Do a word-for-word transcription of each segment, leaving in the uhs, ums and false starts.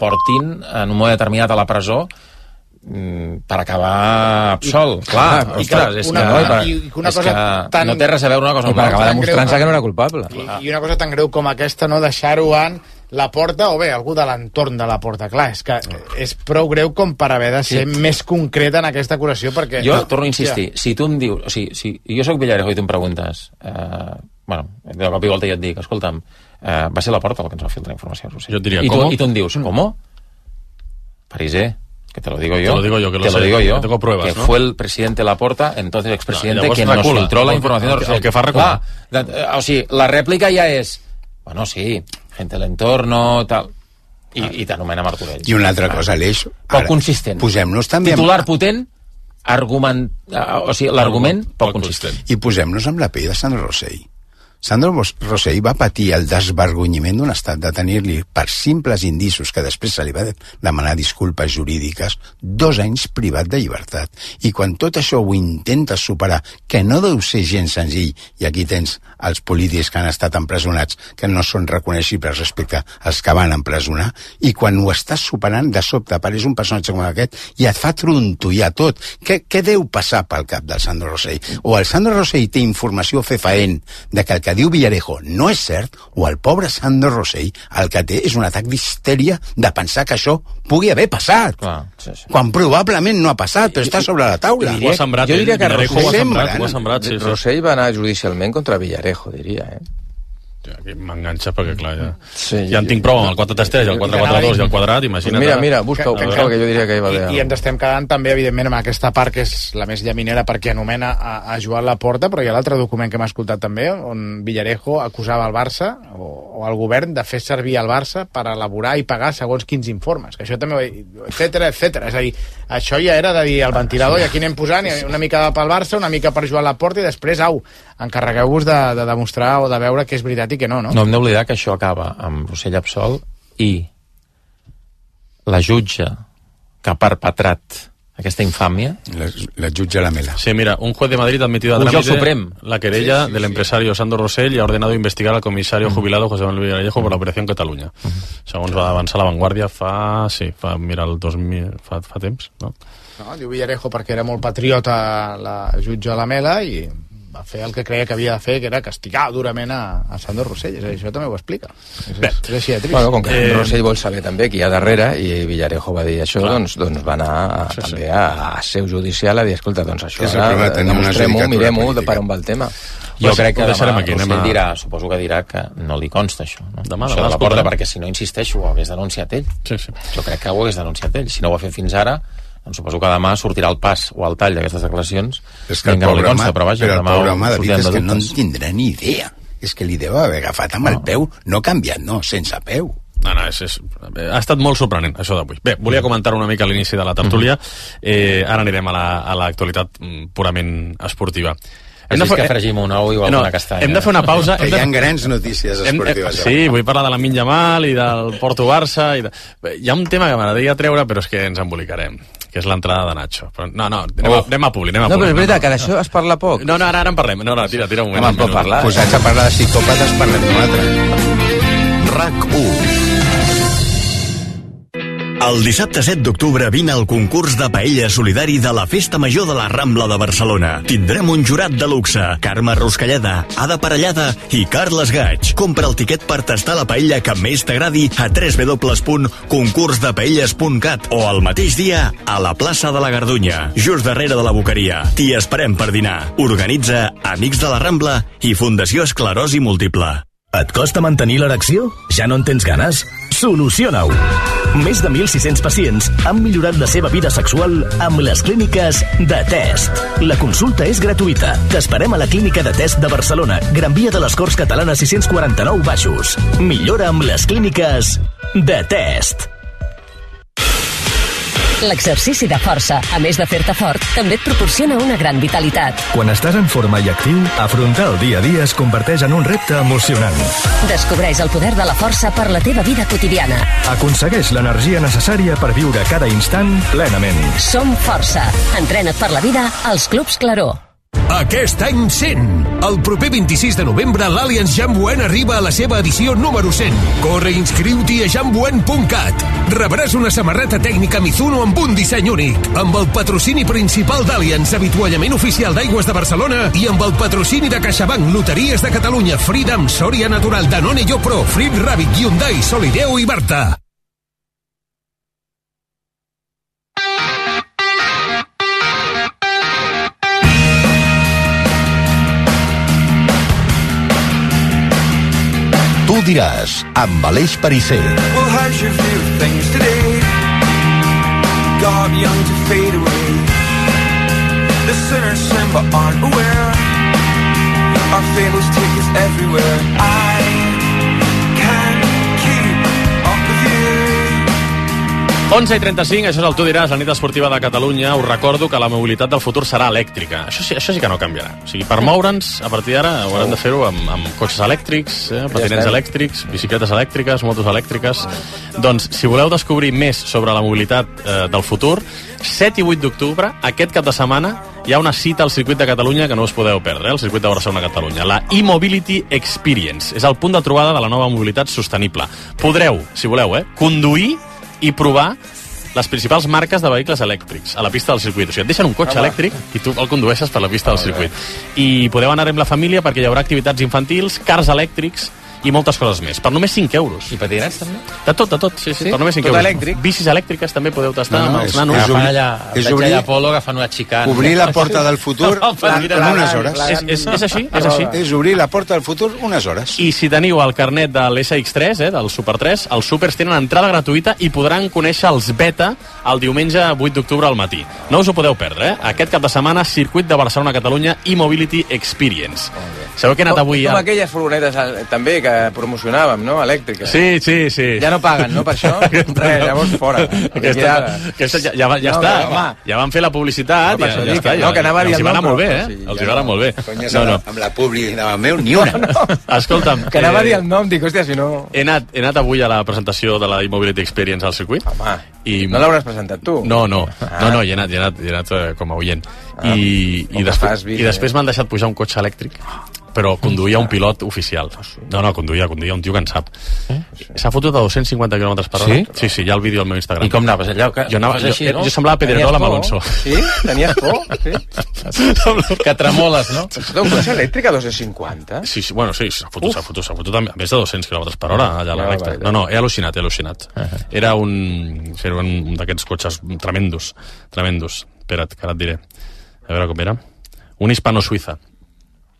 portin en un moment determinat a la presó per acabar absolt. Clar, ah, ostres, és, una, que, i, i una és cosa que tan, no té res a veure una cosa amb per acabar demostrant-se que no era culpable. I, I una cosa tan greu com aquesta, no deixar-ho en la porta, o bé, algú de l'entorn de la porta. Clar, és que és prou greu com per haver de ser sí. més concret en aquesta acusació, perquè... Jo no, torno a insistir, ja. si tu em dius... O sigui, si jo soc Villarejo i tu em preguntes... Eh, bueno, de cop i volta jo et dic, escolta'm, eh, va ser la porta el que ens va filtrar informació. Jo et diria, I tu, ¿cómo? I tu em dius, ¿cómo? Parisé. Que te lo digo yo. Te lo digo yo, que lo te sé. Lo digo yo. Que tengo pruebas, que ¿no? fue el presidente Laporta, entonces expresidente, no, quien recula, nos filtró la información de Rosell. El que fa recular. Clar, o sigui, la rèplica ja és, bueno, sí, gente del entorno, tal, i, ah. i t'anomena Martorell. I una altra cosa, Aleix. Poc consistent. Posem-nos també... Titular potent, argument, o sigui, l'argument poc, poc consistent. I posem-nos amb la pell de Sandro Rosell. Sandro Rosell va patir el desvergonyiment d'un estat de tenir-li per simples indicis que després se li va demanar disculpes jurídiques dos anys privat de llibertat. I quan tot això ho intentes superar, que no deu ser gens senzill, i aquí tens els polítics que han estat empresonats, que no són reconeixibles respecte als que van empresonar, i quan ho estàs superant, de sobte apareix un personatge com aquest i et fa trontollar tot. Què, què deu passar pel cap del Sandro Rosell? O el Sandro Rosell té informació fefaent de que el que diu Villarejo no és cert, o el pobre Sandro Rosell el que té és un atac d'histèria de pensar que això pugui haver passat. Clar, sí, sí. Quan probablement no ha passat, però està sobre la taula. Ho ha sembrat, jo diria que Villarejo ho ha sembrat, ho ha sembrat, sí, sí. Rosell va anar judicialment contra Villarejo, diria, eh? Aquí m'enganxa perquè, clar, ja... Sí, ja en tinc prou amb el quatre tres tres, el quatre quatre dos i el quadrat, imagina't... Mira, mira, busca-ho, que, que, que jo diria que hi va haver... I, I ens estem quedant també, evidentment, amb aquesta part que és la més llaminera perquè anomena a, a Joan Laporta, però hi ha l'altre document que hem escoltat també, on Villarejo acusava el Barça, o, o el govern, de fer servir el Barça per elaborar i pagar segons quins informes, que això també... etcètera, etcètera. És a dir, això ja era de dir el ventilador, i aquí anem posant una mica pel Barça, una mica per Joan Laporta, i després, au, encarregueu-vos de, de demostrar o de veure que és veritat i que no, no? No hem d'oblidar que això acaba amb Rosell absolt i la jutge que ha perpetrat aquesta infàmia... La, la jutge Lamela. Sí, mira, un juez de Madrid ha admitido a trámite la querella sí, sí, del empresario Sandro Rosell y ha ordenado investigar al comisario uh-huh. jubilado José Manuel Villarejo por la operación Catalunya. Uh-huh. Segons va avançar La Vanguardia fa... sí, fa, mira, el dos mil... fa, fa temps, no? No, diu Villarejo perquè era molt patriota la jutge Lamela i va fer el que creia que havia de fer, que era castigar durament a, a Sandro Rosell. És a dir, això també ho explica. És, és, és així de trist. Bueno, com que eh... Rosell vol saber també qui hi ha darrere, i Villarejo va dir això, doncs, doncs va anar a, sí, també sí. a, a seu judicial a dir, escolta, doncs això, ara demostrem-ho, mirem-ho de per on va el tema. Jo pues crec que demà aquí, Rosell a... dirà, suposo que dirà que no li consta això. No? Demà, això demà de la porta, perquè si no insisteixo ho hagués denunciat ell. Sí, sí. Jo crec que ho hagués denunciat ell. Si no ho ha fet fins ara, doncs suposo que demà sortirà el pas o el tall d'aquestes declaracions. És que el no pobre consta, home, però, vaja, però el pobre home, David, és que no en dubtes. tindrà ni idea. És que li deu haver agafat amb no. el peu, no canviat, no, sense peu. No, no, és, és, ha estat molt sorprenent, això d'avui. Bé, volia comentar una mica a l'inici de la tertúlia. Eh, ara anirem a l'actualitat la, purament esportiva. Hem de fer... que fregim un ou i alguna no, castanya. Hem de fer una pausa. Que hi ha grans notícies esportives. Hem, sí, vull parlar de la Lamine Yamal i del Porto-Barça. I de... Hi ha un tema que m'agradaria treure, però és que ens embolicarem, que és l'entrada de Nacho. Però, no, no, anem, oh. a, anem a publi, anem a publi. No, però és veritat, no, no. que d'això es parla poc. No, no, ara, ara en parlem. No, no, tira, tira un moment. Home, pot parlar. Posats a parlar de psicòpates, parlem d'un altre. RAC u. El dissabte set d'octubre vine al concurs de paella solidari de la Festa Major de la Rambla de Barcelona. Tindrem un jurat de luxe, Carme Ruscalleda, Ada Parellada i Carles Gaig. Compra el tiquet per tastar la paella que més t'agradi a w w w punt concurs de paelles punt cat o el mateix dia a la plaça de la Gardunya, just darrere de la Boqueria. T'hi esperem per dinar. Organitza Amics de la Rambla i Fundació Esclerosi Múltiple. Et costa mantenir l'erecció? Ja no en tens ganes? Soluciona-ho! Més de mil sis-cents pacients han millorat la seva vida sexual amb les clíniques de Test. La consulta és gratuïta. T'esperem a la clínica de Test de Barcelona, Gran Via de les Corts Catalanes sis-cents quaranta-nou Baixos. Millora amb les clíniques de Test. L'exercici de força, a més de fer-te fort, també et proporciona una gran vitalitat. Quan estàs en forma i actiu, afrontar el dia a dia es converteix en un repte emocionant. Descobreix el poder de la força per la teva vida quotidiana. Aconsegueix l'energia necessària per viure cada instant plenament. Som força. Entrena't per la vida als Clubs Claró. Aquest any cent. El proper vint-i-sis de novembre l'Allianz Jamboen arriba a la seva edició número cent. Corre i inscriu-t'hi a jamboen punt cat. Rebràs una samarreta tècnica Mizuno amb un disseny únic, amb el patrocini principal d'Allianz, avituallament oficial d'Aigües de Barcelona, i amb el patrocini de CaixaBank, Loteries de Catalunya, Freedom, Soria Natural, Danone Yopro, Frit Rabbit, Hyundai, Solideo i Barta. Tu diràs, amb Aleix Perisser. Well, how's your view of things today? God young to fade away. The sinners sin but aren't aware. Our fables take us everywhere. I can keep up with you. onze i trenta-cinc, això és el Tu diràs, la nit esportiva de Catalunya. Us recordo que la mobilitat del futur serà elèctrica. Això sí, això sí que no canviarà. O sigui, per moure'ns, a partir d'ara, haurem de fer-ho amb, amb cotxes elèctrics, eh, patinets elèctrics, bicicletes elèctriques, motos elèctriques. Doncs, si voleu descobrir més sobre la mobilitat eh, del futur, set i vuit d'octubre, aquest cap de setmana, hi ha una cita al circuit de Catalunya que no us podeu perdre, eh, el circuit de Barcelona-Catalunya. La e-Mobility Experience. És el punt de trobada de la nova mobilitat sostenible. Podreu, si voleu, eh, conduir i provar les principals marques de vehicles elèctrics a la pista del circuit. O sigui, et deixen un cotxe Home. elèctric i tu el condueixes per la pista del circuit. I podeu anar amb la família perquè hi haurà activitats infantils, cars elèctrics i moltes coses més. Per només cinc euros. I patinets, també? De tot, de tot, sí, sí. sí? Per només cinc tot euros. Elèctric? Bicis elèctriques també podeu tastar no, no, amb els és, nanos. És, Agafant allà, és veig obrir, allà Polo agafant una xicana. Obrir la porta del futur en unes hores. És, és, és així, és així. És obrir la porta del futur unes hores. I si teniu el carnet de l'S X tres, eh, del Super tres, els Supers tenen entrada gratuïta i podran conèixer els beta el diumenge vuit d'octubre al matí. No us ho podeu perdre, eh? Aquest cap de setmana, circuit de Barcelona-Catalunya e-Mobility Experience. Sabeu que he anat avui... Com aquelles furgonetes també que promocionàvem, no? Elèctriques. Sí, sí, sí. Ja no paguen, no, per això? Res, llavors fora. Aquesta, aquesta ja, ja, ja no, està. Home. Ja van fer la publicitat, no, ja, ja està. No, que anava a dir els hi va anar molt bé, eh? Sí, els hi va anar molt bé. No, no. Amb la publi anava meu, ni una. No, no. Escolta'm. Que anava a dir el nom, dic, hòstia, si no... He anat, he anat avui a la presentació de la e-Mobility Experience al circuit. Home, i... no l'hauràs presentat tu? No, no, ah. no, no, hi he anat, hi he anat, hi he anat uh, com a oient. Ah. I, i, després, i després m'han deixat pujar un cotxe elèctric, però conduïa un pilot oficial. No, no, conduïa, conduïa un tio que en sap. Eh? S'ha fotut a dos-cents cinquanta quilòmetres per hora. Sí? Sí, sí, hi ha el vídeo al meu Instagram. I com anaves allà? Que, jo, anava, jo, així, no? jo semblava Pedrerol amb Alonso. Sí? Tenies por? Sí? Que tremoles, no? Un cotxe elèctric a dos-cents cinquanta? Sí, sí, bueno, sí, s'ha fotut, s'ha fotut, s'ha fotut a més de dos-cents quilòmetres per hora allà a l'elèctric. No, no, he al·lucinat, he al·lucinat. Uh -huh. Era un, era un d'aquests cotxes tremendos, tremendos. Espera't, que ara et diré. A veure com era. Un hispano-suïza.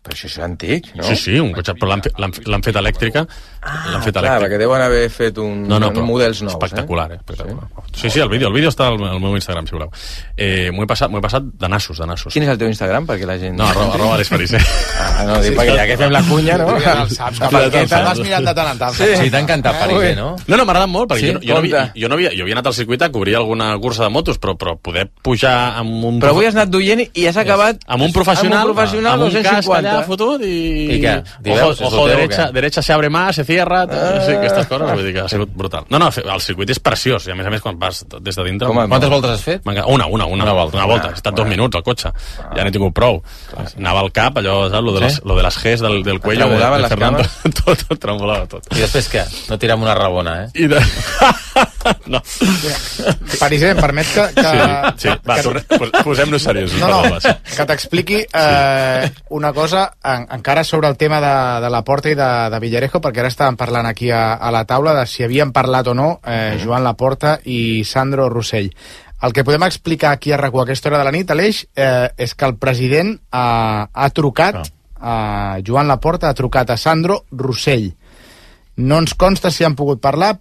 Però això és antic, no? Sí, sí, un cotxe, però l'han fet elèctrica. Ah, l'han fet clar, perquè deuen haver fet un, no, no, un models nous, espectacular, eh? Espectacular. Sí? sí, sí, el vídeo, el vídeo està al, al meu Instagram, si voleu. Eh, m'ho he passat, m'ho he passat de nassos, de nassos. Quin és el teu Instagram, perquè la gent... No, arroba, arroba Aleix Perisser. Ah, no, dic, perquè ja que fem la cunya, no? Ja el saps, que per què te'l vas mirant de tant en tant. Sí, sí t'ha encantat Perisser, no? No, no, m'ha agradat molt, perquè sí? jo, jo, no havia, jo, no havia, jo havia anat al circuit a cobrir alguna cursa de motos, però, però poder pujar amb un... Però avui has anat duient i has acabat... Amb un professional, amb un, professional, amb un casc allà fotut i... I què? Ojo, ojo derecha, derecha se abre más, se cierra... Ah. Sí, aquestes coses, vull dir que ha sigut brutal. No, no, el circuit és preciós, i a més a més quan vas des de dintre... Com, quantes voltes has fet? Una, una, una, una volta. Una volta. He estat dos minuts al cotxe. Ja n'he tingut prou. Anava al cap, allò, saps? Lo de les, lo de les Gs del, del cuello. Tremolaven les cames? Tot, tot, tremolava tot. I després què? No tirem una rabona, eh? I de... no. Perisser, em permet que... que sí, sí. Va, que... posem-nos seriosos. No, no, que t'expliqui eh, una cosa en, encara sobre el tema de, de la Porta i de, de Villarejo, perquè ara estàvem parlant aquí a, a la taula de si havien parlat o no eh, Joan Laporta i Sandro Rossell. El que podem explicar aquí a RAC u a aquesta hora de la nit, Aleix, eh, és que el president ha, ha trucat a Joan Laporta, ha trucat a Sandro Rossell. No ens consta si han pogut parlar,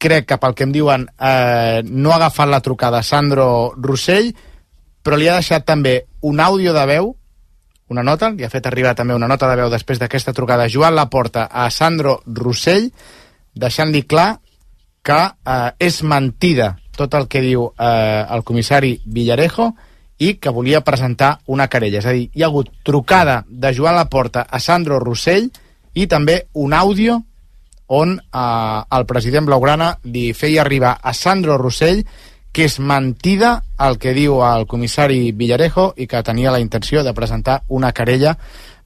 crec que pel que em diuen eh, no ha agafat la trucada a Sandro Rossell, però li ha deixat també un àudio de veu, una nota, li ha fet arribar també una nota de veu després d'aquesta trucada Joan Laporta a Sandro Rossell, deixant-li clar que eh, és mentida tot el que diu eh, el comissari Villarejo i que volia presentar una querella. És a dir, hi ha hagut trucada de Joan Laporta a Sandro Rossell i també un àudio on eh, el president blaugrana li feia arribar a Sandro Rossell que és mentida el que diu el comissari Villarejo i que tenia la intenció de presentar una querella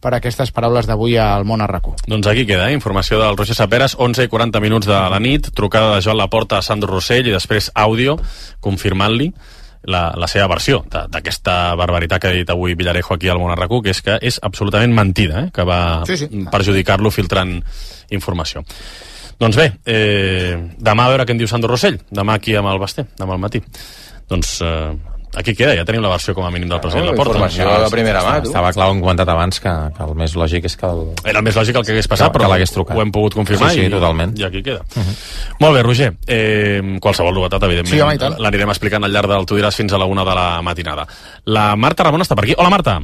per aquestes paraules d'avui al Món a RAC u. Doncs aquí queda, eh? Informació del Roger Saperas, onze i quaranta minuts de la nit, trucada de Joan Laporta a Sandro Rossell i després àudio confirmant-li la, la seva versió d'aquesta barbaritat que ha dit avui Villarejo aquí al Món a RAC u, que és que és absolutament mentida, eh? Que va sí, sí. perjudicar-lo filtrant informació. Doncs bé, eh, demà a veure què en diu Sandro Rossell, demà aquí amb el Basté, demà al matí. Doncs eh, aquí queda, ja tenim la versió com a mínim del president Laporta. Informació de primera mà, tu. Estava clar, ho hem comentat abans, que, que el més lògic és que... El... Era el més lògic el que hagués passat, que, però que ho hem pogut confirmar sí, sí, i, totalment. i aquí queda. Uh -huh. Molt bé, Roger, eh, qualsevol novetat, evidentment, sí, l'anirem explicant al llarg del Tu diràs fins a la una de la matinada. La Marta Ramon està per aquí. Hola, Marta.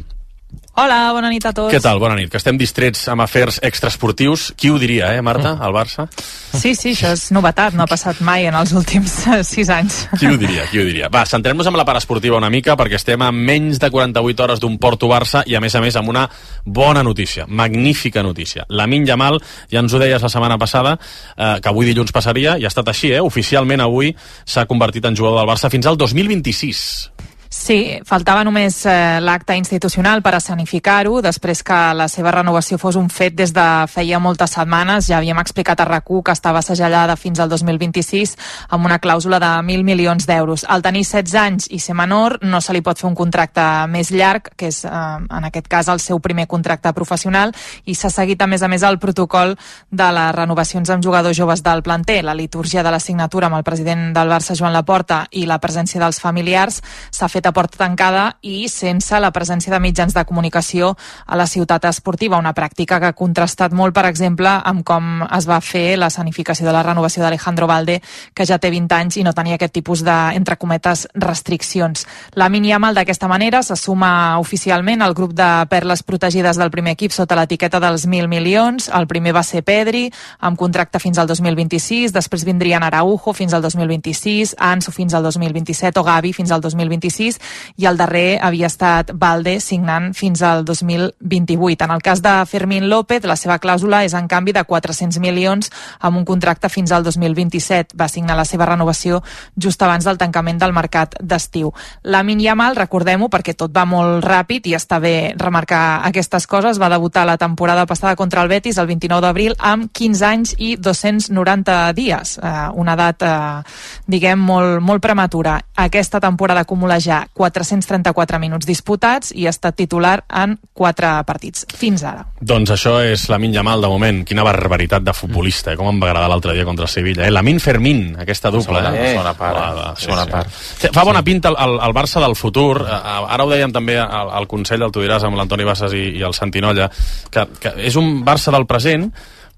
Hola, bona nit a tots. Què tal? Bona nit. Que estem distrets amb afers extraesportius. Qui ho diria, eh, Marta, al Barça? Sí, sí, això és novetat, no ha passat mai en els últims sis anys. Qui ho diria, qui ho diria? Va, centrem-nos en la part esportiva una mica, perquè estem a menys de quaranta-vuit hores d'un Porto-Barça i, a més a més, amb una bona notícia, magnífica notícia. Lamine Yamal, ja ens ho deies la setmana passada, eh, que avui dilluns passaria, i ha estat així, eh? Oficialment avui s'ha convertit en jugador del Barça fins al dos mil vint-i-sis. Sí, faltava només eh, l'acte institucional per escenificar-ho, després que la seva renovació fos un fet des de feia moltes setmanes. Ja havíem explicat a RAC u que estava segellada fins al dos mil vint-i-sis amb una clàusula de mil milions d'euros. Al tenir setze anys i ser menor, no se li pot fer un contracte més llarg, que és, eh, en aquest cas, el seu primer contracte professional, i s'ha seguit, a més a més, el protocol de les renovacions amb jugadors joves del planter. La litúrgia de la signatura amb el president del Barça, Joan Laporta, i la presència dels familiars s'ha fet a porta tancada i sense la presència de mitjans de comunicació a la ciutat esportiva, una pràctica que ha contrastat molt, per exemple, amb com es va fer l'escenificació de la renovació d'Alejandro Balde, que ja té vint anys i no tenia aquest tipus de, entre cometes, restriccions. Lamine Yamal, d'aquesta manera, se suma oficialment al grup de perles protegides del primer equip sota l'etiqueta dels mil milions. El primer va ser Pedri, amb contracte fins al dos mil vint-i-sis, després vindrien Araujo fins al dos mil vint-i-sis, Ansu fins al dos mil vint-i-set o Gavi fins al dos mil vint-i-sis, i el darrer havia estat Balde, signant fins al dos mil vint-i-vuit. En el cas de Fermín López, la seva clàusula és en canvi de quatre-cents milions amb un contracte fins al dos mil vint-i-set. Va signar la seva renovació just abans del tancament del mercat d'estiu. Lamine Yamal, recordem-ho perquè tot va molt ràpid i està bé remarcar aquestes coses, va debutar la temporada passada contra el Betis el vint-i-nou d'abril amb quinze anys i dos-cents noranta dies, eh, una edat, eh, diguem, molt, molt prematura. Aquesta temporada acumula ja quatre-cents trenta-quatre minuts disputats i ha estat titular en quatre partits, fins ara. Doncs això és Lamine Yamal, de moment. Quina barbaritat de futbolista, eh? Com em va agradar l'altre dia contra el Sevilla. Eh? Lamine Fermín, aquesta dupla. Segona, eh? segona part. Ah, sí, segona sí. part. Fa bona pinta el, el, el Barça del futur. Ara ho dèiem també al, al Consell del Tu diràs amb l'Antoni Bassas i, i el Santinolla, que, que és un Barça del present,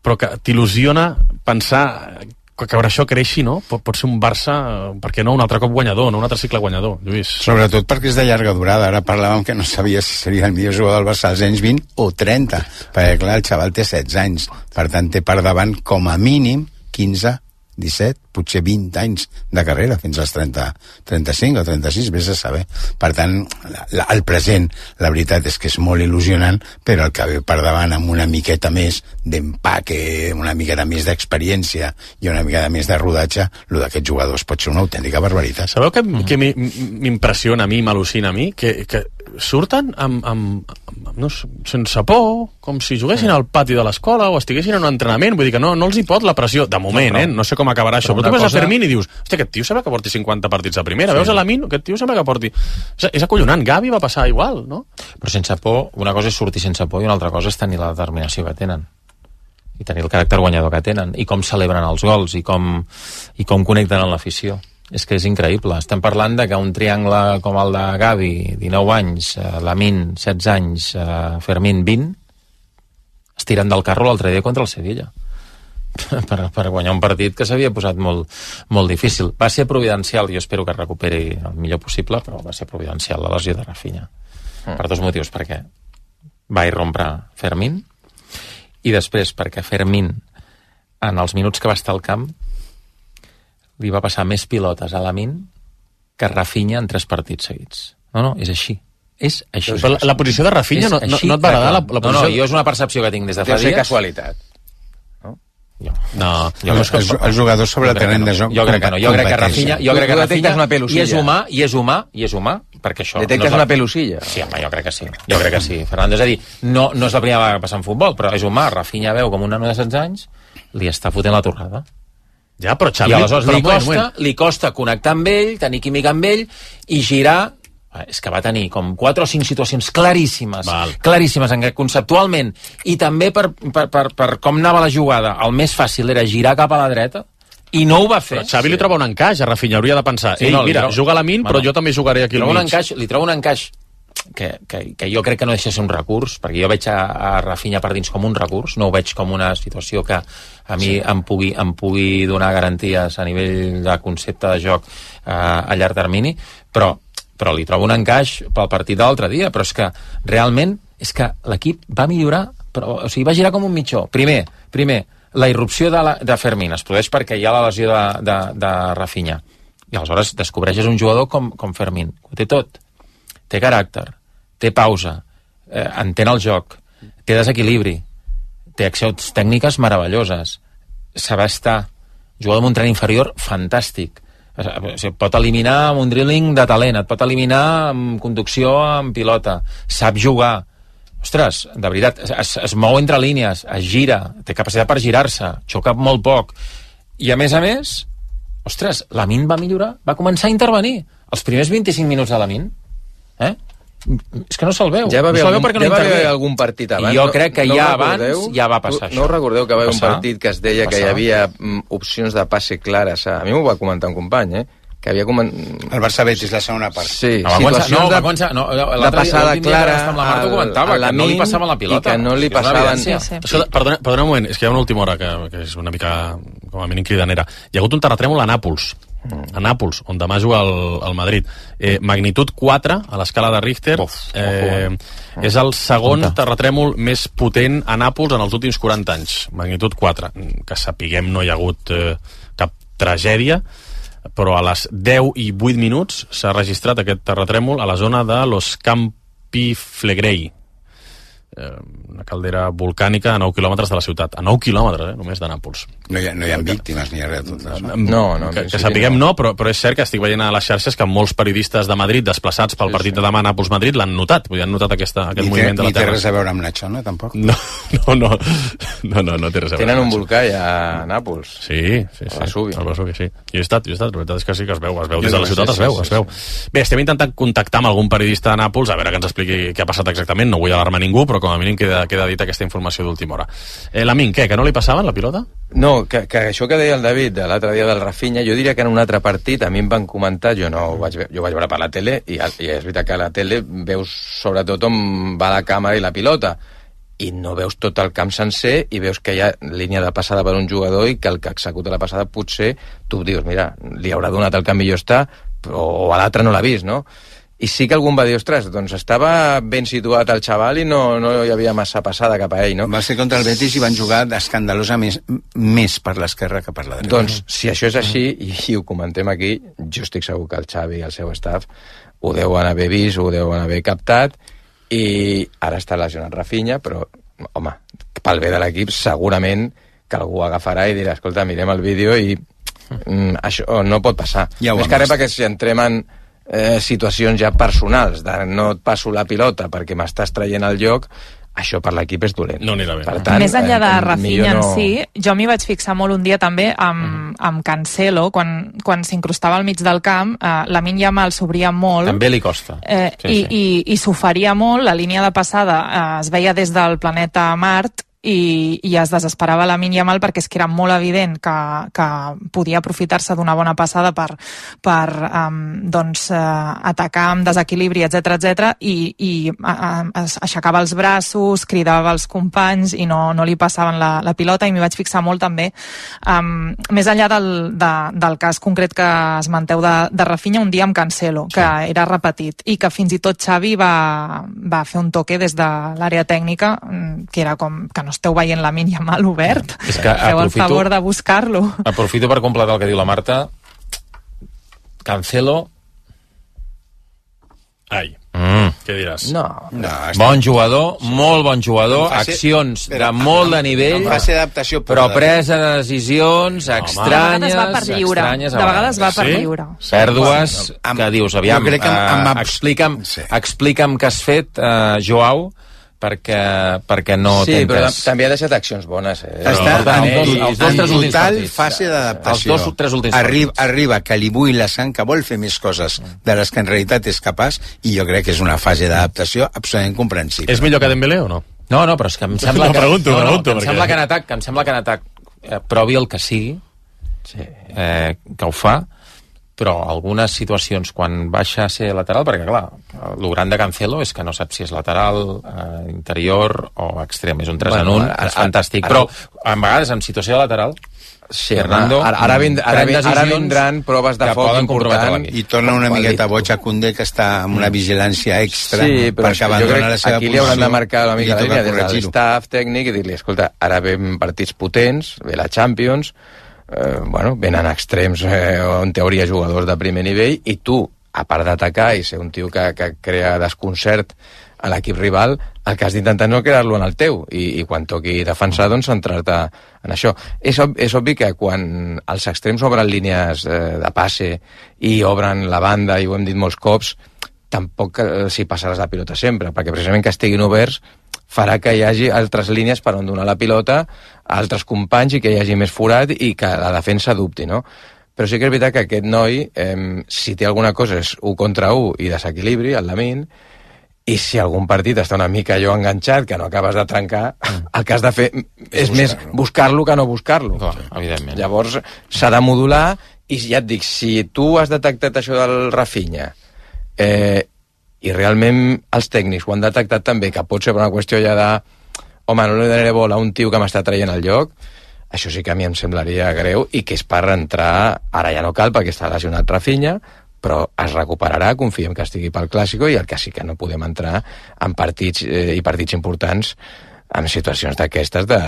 però que t'il·lusiona pensar que això creixi, no? Pot, pot ser un Barça, per què no, un altre cop guanyador, no un altre cicle guanyador, Lluís. Sobretot perquè és de llarga durada. Ara parlàvem que no sabia si seria el millor jugador del Barça als anys vint o trenta, perquè clar, el xaval té setze anys, per tant té per davant com a mínim quinze, disset, potser vint anys de carrera, fins als trenta, trenta-cinc o trenta-sis, vés a saber. Per tant, la, el present, la veritat és que és molt il·lusionant, però el que ve per davant amb una miqueta més d'empaque, una miqueta més d'experiència i una miqueta més de rodatge, el d'aquests jugadors pot ser una autèntica barbaritat. Sabeu que, mm. que m'impressiona a mi, m'al·lucina a mi, que, que surten amb, amb, amb no, sense por, com si juguessin al pati de l'escola o estiguessin en un entrenament, vull dir que no, no els hi pot la pressió, de moment, no, però, eh? No sé com acabarà això, però tu veus cosa... a Fermín i dius, hòstia, aquest tio sembla que porti cinquanta partits a primera, sí. Veus a Lamine, aquest tio sembla que porti... És, és acollonant, Gavi va passar igual, no? Però sense por, una cosa és sortir sense por i una altra cosa és tenir la determinació que tenen i tenir el caràcter guanyador que tenen i com celebren els gols i com, i com connecten amb l'afició. És que és increïble. Estem parlant de que un triangle com el de Gavi, dinou anys, eh, Lamine, setze anys, eh, Fermín, vint, es tiren del carro l'altre dia contra el Sevilla per, per guanyar un partit que s'havia posat molt, molt difícil. Va ser providencial, jo espero que es recuperi el millor possible, però va ser providencial la lesió de Rafinha. Mm. Per dos motius, perquè va irrompre Fermín i després perquè Fermín, en els minuts que va estar al camp, li va passar més pilotes a Lamine que Rafinha en tres partits seguits. No, no, és així. És així. Però la, la posició de Rafinha no, no, no et va agradar? La, la posició... No, no, jo és una percepció que tinc des de fa dies. Deu ser casualitat. No? Jo. No, jo els, els, els jugadors sobre el terreny de joc jo crec que no, jo crec que Rafinha, jo crec que Rafinha una pelusilla. i és humà, i és humà, i és humà, perquè això... Detectes no una pelusilla? Sí, home, jo crec que sí, jo crec que sí. Fernando, és a dir, no, no és la primera vegada que passa en futbol, però és humà, Rafinha veu com un nano de setze anys, li està fotent la torrada. Ja, però Xavi... I aleshores però, li, costa, moment, moment. li costa connectar amb ell, tenir química amb ell, i girar... És que va tenir com quatre o cinc situacions claríssimes, Val. claríssimes, en què conceptualment, i també per, per, per, per com anava la jugada, el més fàcil era girar cap a la dreta, i no ho va fer. Però Xavi li troba un encaix, a Rafinha hauria de pensar, Sí, ei, no, li mira, trobo- juga a la min, però Bueno, jo també jugaré aquí li al trobo un mig. encaix, li trobo un encaix que, que, que jo crec que no deixa de ser un recurs, perquè jo veig a, a Rafinha per dins com un recurs, no ho veig com una situació que a mi sí. em, pugui, em pugui donar garanties a nivell de concepte de joc eh, a llarg termini, però però li trobo un encaix pel partit de l'altre dia, però és que realment és que l'equip va millorar, però, o sigui, va girar com un mitjó. Primer, primer la irrupció de, la, de Fermín es produeix perquè hi ha la lesió de, de, de Rafinha, i aleshores descobreixes un jugador com, com Fermín, ho té tot, té caràcter, té pausa, eh, entén el joc, té desequilibri, té accions tècniques meravelloses, saber estar, jugador amb un tren inferior fantàstic, et pot eliminar amb un dribbling de talent, et pot eliminar amb conducció amb pilota, sap jugar, ostres, de veritat, es, es mou entre línies, es gira, té capacitat per girar-se, xoca molt poc, i a més a més, ostres, Lamine va millorar, va començar a intervenir els primers vint-i-cinc minuts de Lamine, eh? És que no se'l veu, ja va no se'l veu algun, perquè no ja va intervé. haver algun partit abans. I jo crec que no, ja no abans ja va passar no, això. No recordeu que va haver un Passar. partit que es deia Passar. que hi havia mm, opcions de passe clares. A mi m'ho va comentar un company, eh? Que havia coment... El Barça-Betis, la segona part. Sí, No, va començar, no, situacions va començar, no, de passada l'últim dia clara que va estar amb la Marta ho comentava, que no li passaven la pilota. I que no li És una passaven... evidència. Sí, sí. Escolta, perdona, perdona un moment, és que hi ha una última hora que, que és una mica, com a mínim, cridanera. Hi ha hagut un terratrèmol a Nàpols, a Nàpols, on demà juga el, el Madrid. Eh, magnitud quatre a l'escala de Richter. Uf, eh, és el segon terratrèmol més potent a Nàpols en els últims quaranta anys. Magnitud quatre. Que sapiguem no hi ha hagut eh, cap tragèdia, però a les deu i vuit minuts s'ha registrat aquest terratrèmol a la zona de Los Campi Flegrei, una caldera volcànica a nou quilòmetres de la ciutat. A nou quilòmetres, eh, només de Nàpols. No hi ha, no hi ha víctimes ni res de tot això. No, no, que, que sapiguem no, però, però és cert que estic veient a les xarxes que molts periodistes de Madrid desplaçats pel Sí, partit sí. de demà a Nàpols-Madrid l'han notat, vull dir, han notat aquesta, aquest Ni té, moviment de ni la té Terra. res a veure amb Nacho, no? Tampoc. No, no, no, no, no, no té res a veure. Tenen un amb això. volcà ja a Nàpols. Sí, sí, sí. A Vesuvi. Al Vesuvi, sí. Jo he estat, jo he estat. La veritat és que sí que es veu, es veu Jo des de la no ciutat, sé, es veu, sí, es veu. Bé, estem intentant contactar amb algun periodista de Nàpols, a veure que ens expliqui què ha passat exactament. No vull alarmar ningú, però com a mínim queda, queda dit aquesta informació d'última hora. Eh, Lamin, què? Que no li passaven la pilota? No, que, que això que deia el David de l'altre dia del Rafinha, jo diria que en un altre partit a mi em van comentar, jo no ho vaig, ve- jo ho vaig veure per la tele, i, i és veritat que a la tele veus sobretot on va la càmera i la pilota, i no veus tot el camp sencer i veus que hi ha línia de passada per un jugador i que el que executa la passada potser tu dius, mira, li haurà donat el que millor està, però, o a l'altre no l'ha vist, no? I sí que algú em va dir, ostres, doncs estava ben situat el xaval i no, no hi havia massa passada cap a ell, no? Va ser contra el Betis i van jugar escandalosa més, més per l'esquerra que per la dreta. Doncs, si això és així, i, i ho comentem aquí, jo estic segur que el Xavi i el seu staff ho deuen haver vist, ho deuen haver captat, i ara està lesionat Rafinha, però, home, pel bé de l'equip, segurament que algú agafarà i dirà, escolta, mirem el vídeo i mm, això no pot passar. Ja ho Més hem que res vist. perquè si entrem en eh, situacions ja personals, de no et passo la pilota perquè m'estàs traient el lloc, això per l'equip és dolent. No anirà bé. Per tant, Més enllà de eh, Rafinha en millor no- si, jo m'hi vaig fixar molt un dia també amb, amb Cancelo, quan, quan s'incrustava al mig del camp, eh, Lamine Yamal s'obria molt. També li costa. Eh, Sí, i, sí. i, i s'oferia molt, la línia de passada eh, es veia des del planeta Mart i, i es desesperava Lamine Yamal perquè és que era molt evident que, que podia aprofitar-se d'una bona passada per, per um, doncs, uh, atacar amb desequilibri, etc etc i, i uh, es aixecava els braços, cridava als companys i no, no li passaven la, la pilota, i m'hi vaig fixar molt també um, més enllà del, de, del cas concret que esmenteu de, de Rafinha, un dia amb Cancelo, que sí. era repetit, i que fins i tot Xavi va, va fer un toque des de l'àrea tècnica, que era com que no esteu veient Lamine Yamal obert, És que feu el aprofito- favor de buscar-lo. Aprofito per completar el que diu la Marta. Cancelo... Ai. Mm. Què diràs? No. no bon jugador, molt bon jugador, fase, accions de molt de nivell, d'adaptació, però presa de decisions no, estranyes. De vegades va per lliure. De vegades va per lliure. Pèrdues que dius, aviam, explica'm explica'm què has fet, Joao, perquè, perquè no sí, t'entes. Però també ha deixat accions bones. Eh? Està però, en, els dos, els dos, en total fase d'adaptació. Els dos, tres últims arriba, arriba que li bull la sang, que vol fer més coses de les que en realitat és capaç, i jo crec que és una fase d'adaptació absolutament comprensible. És millor que Dembélé o no? No, no, però és que em sembla no, que... pregunto, no, no, pregunto, que em sembla que en atac, que em sembla que en atac eh, provi el que sigui, sí. eh, que ho fa, però algunes situacions quan baixa a ser lateral, perquè clar, el gran de Cancelo és que no sap si és lateral, eh, interior o extrem, és un tres bueno, en un, ara, és fantàstic, ara, però a vegades en situació de lateral sí, Fernando, ara, ara, vind, ara, vind, ara vindran proves de foc important i torna una miqueta boig a Koundé, que està amb una vigilància extra, sí, però perquè abandona la seva aquí li hauran de marcar una mica la línia des del staff tècnic i dir-li, escolta, ara ven partits potents, ve la Champions, Eh, bueno, venen extrems eh, en teoria jugadors de primer nivell i tu, a part d'atacar i ser un tio que, que crea desconcert a l'equip rival, el que has d'intentar no crear-lo en el teu i, i quan toqui defensar, doncs centrar-te en això. És, ob és obvi que quan els extrems obren línies eh, de passe i obren la banda, i ho hem dit molts cops, tampoc eh, s'hi passaràs la pilota sempre, perquè precisament que estiguin oberts farà que hi hagi altres línies per on donar la pilota a altres companys i que hi hagi més forat i que la defensa dubti, no? Però sí que és veritat que aquest noi, eh, si té alguna cosa és u contra u i desequilibri, el Lamine, i si algun partit està una mica allò enganxat, que no acabes de trencar, el que has de fer és més buscar-lo que no buscar-lo. Evidentment. Llavors s'ha de modular i ja et dic, si tu has detectat això del Rafinha, eh, i realment els tècnics ho han detectat també, que pot ser per una qüestió ja de home, no li donaré bola a un tio que m'està traient el lloc, això sí que a mi em semblaria greu i que és per entrar, ara ja no cal perquè està lesionat Rafinha, però es recuperarà, confiem que estigui pel Clàssico, i el que sí que no podem entrar en partits eh, i partits importants en situacions d'aquestes de...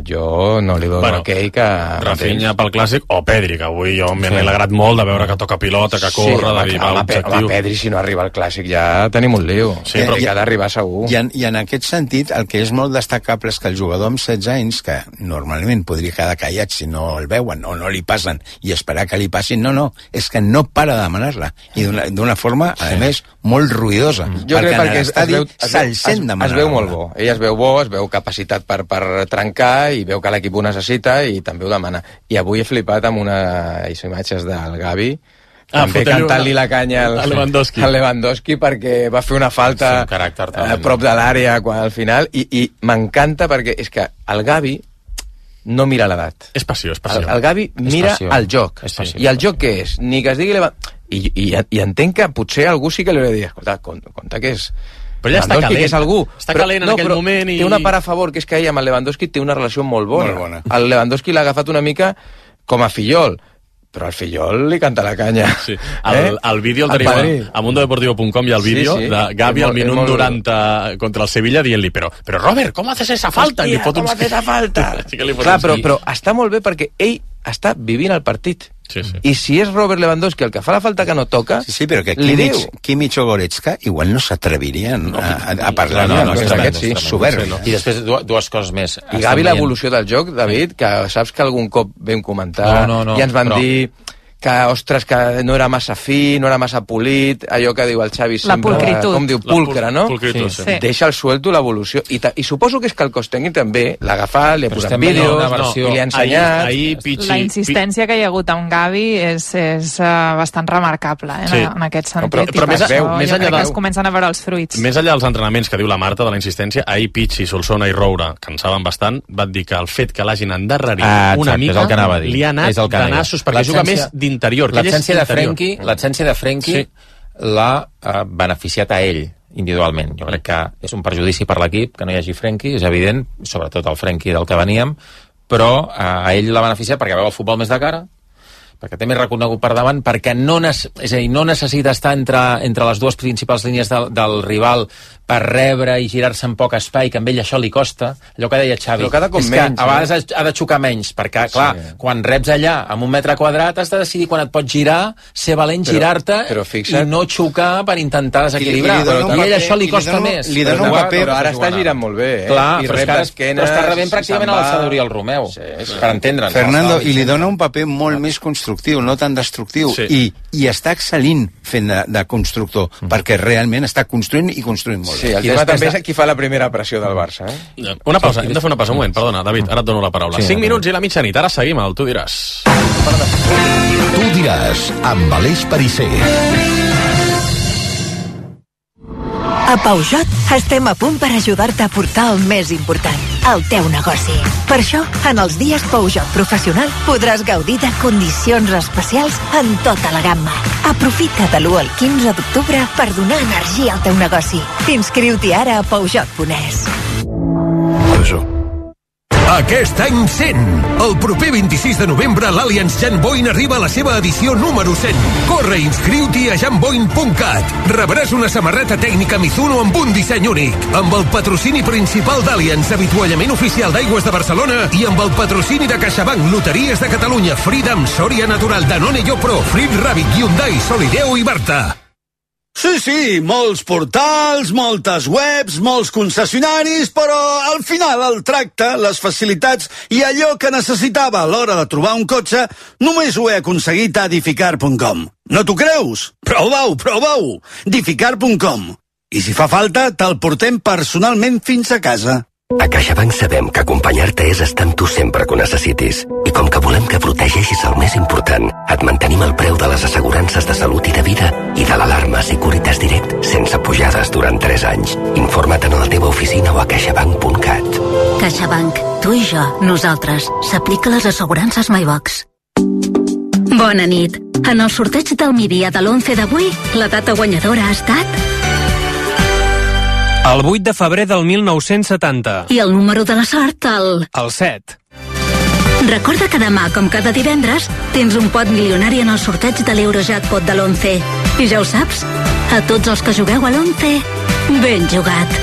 Jo no li dono bueno, aquell que... Rafinha pel Clàssic o Pedri, que avui jo m'he sí. alegrat molt de veure que toca pilota, que corre, sí, d'arribar a l'objectiu. Home, Pedri, si no arriba al Clàssic ja tenim un liu. Sí, però que ha d'arribar segur. I en, I en aquest sentit, el que és molt destacable és que el jugador amb setze anys, que normalment podria quedar callat si no el veuen o no li passen i esperar que li passin, no, no, és que no para de demanar-la. I d'una forma, a sí. més, molt ruïdosa. Jo crec perquè l'estadi se'l sent demanar. Es veu molt bo. Ell es veu bo, es veu capacitat per, per trencar i veu que l'equip ho necessita i també ho demana. I avui he flipat amb una imatges del Gavi ah, també cantant-li la canya al, al, Lewandowski. al Lewandowski perquè va fer una falta sí, un a prop de l'àrea al final i, i m'encanta perquè és que el Gavi no mira l'edat. És passió, és passió. El, el Gavi mira el joc. I el joc què és? Ni que es digui Lewandowski. I, i, i entenc que potser algú sí que li hauria de dir, escolta, compte que és però ja està calent, que és algú. està però, calent en no, aquell moment i... té una part a favor, que és que ell amb el Lewandowski té una relació molt bona, molt bona. El Lewandowski l'ha agafat una mica com a fillol, però al fillol li canta la canya. Sí. El, eh? el vídeo el tenim a mundo deportivo punto com, hi ha el vídeo sí, sí. de Gavi al minut molt... noranta contra el Sevilla dient-li, però, però Robert, com haces esa falta? Hòstia, com uns... haces esa falta? sí Clar, però, però està molt bé perquè ell està vivint el partit. Sí, sí. I si és Robert Lewandowski el que fa la falta que no toca, sí, sí, però que Kimmich, Kimmich o Goretzka igual no s'atrevirien no, a, a parlar no, no, no, no, aquest sí, soberbi. No. I després dues coses més. I Gavi, l'evolució del joc, David, que saps que algun cop vam comentar no, no, no, i ens van però... dir que, ostres, que no era massa fi, no era massa polit, allò que diu el Xavi la sempre, pulcritud. com diu, pulcre, no? Pulcritud, sí. Sí. Deixa el suelto l'evolució. I, I suposo que és que el cos tècnic també l'ha agafat, li ha posat vídeos, versió... i li ha ensenyat. Ahir, ahir, Pichi, la insistència que hi ha hagut amb Gavi és, és uh, bastant remarcable, eh, sí. en, en aquest sentit. No, però, però més, per veu, això més jo crec de... que es comencen a veure els fruits. Més enllà dels entrenaments que diu la Marta de la insistència, ahir Pichi, Solsona i Roura, que en saben bastant, van dir que el fet que l'hagin endarrerit ah, exacte, una mica li ha anat de nassos, perquè juga més d'interior. L'essència de Frenkie, l'essència de Frenkie sí. l'ha uh, beneficiat a ell individualment. Jo crec que és un perjudici per l'equip que no hi hagi Frenkie, és evident, sobretot el Frenkie del que veníem, però uh, a ell l'ha beneficiat perquè veu el futbol més de cara, perquè té més reconegut per davant, perquè no, és a dir, no necessita estar entre, entre les dues principals línies del, del rival per rebre i girar-se en poc espai, que a ell això li costa, allò que deia Xavi. Però cada cop és menys, que a vegades eh? ha de xocar menys, perquè, clar, sí. quan reps allà amb un metre quadrat has de decidir quan et pots girar, ser valent, girar-te i no xocar per intentar desequilibrar. I, i, i a ell això li costa li més. Li dona un paper, però ara està girant molt bé, eh? Clar, I però, rep esquena, però està rebent pràcticament a l'alçada d'Oriol Romeu, sí, sí. per entendre'ns. Fernando, i li dona un paper molt més constructiu, no tan destructiu, sí. i, i està excel·lint fent de, de constructor, mm. perquè realment està construint i construint molt. Sí, el tema també és qui fa la primera pressió del Barça. Eh? Una pausa, hem de fer una pausa, un moment, perdona, David, ara et dono la paraula. Sí, cinc minuts i la mitjanit, ara seguim al Tu diràs. Tu diràs, amb Aleix Perisser. A Peugeot estem a punt per ajudar-te a portar el més important, el teu negoci. Per això, en els dies Peugeot Professional podràs gaudir de condicions especials en tota la gamma. Aprofita de l'u al quinze d'octubre per donar energia al teu negoci. Inscriu-t'hi ara a Peugeot punt es. Peugeot. Aquest any cent. El proper vint-i-sis de novembre l'Allianz Jan Boyn arriba a la seva edició número cent. Corre i inscriu-t'hi a jan boyn punt cat. Rebràs una samarreta tècnica Mizuno amb un disseny únic, amb el patrocini principal d'Allianz, avituallament oficial d'Aigües de Barcelona, i amb el patrocini de CaixaBank, Loteries de Catalunya, Freedom, Soria Natural, Danone Yopro, Frit Rabbit, Hyundai, Solideo i Barta. Sí, sí, molts portals, moltes webs, molts concessionaris, però al final el tracte, les facilitats i allò que necessitava a l'hora de trobar un cotxe només ho he aconseguit a Dificar punt com. No t'ho creus? Prova-ho, prova-ho! Dificar punt com. I si fa falta, te'l portem personalment fins a casa. A CaixaBank sabem que acompanyar-te és estar amb tu sempre que ho necessitis. I com que volem que protegeixis el més important, et mantenim el preu de les assegurances de salut i de vida i de l'alarma Securitas Direct sense pujades durant tres anys. Informa't en la teva oficina o a caixabank punt cat. CaixaBank. Tu i jo, nosaltres. S'aplica les assegurances MyBox. Bona nit. En el sorteig del migdia de l'onze d'avui, la data guanyadora ha estat... El vuit de febrer del mil nou-cents setanta. I el número de la sort, el... El set. Recorda que demà, com cada divendres, tens un pot milionari en el sorteig de l'Eurojackpot de l'onze. I ja ho saps? A tots els que jugueu a l'onze, ben jugat.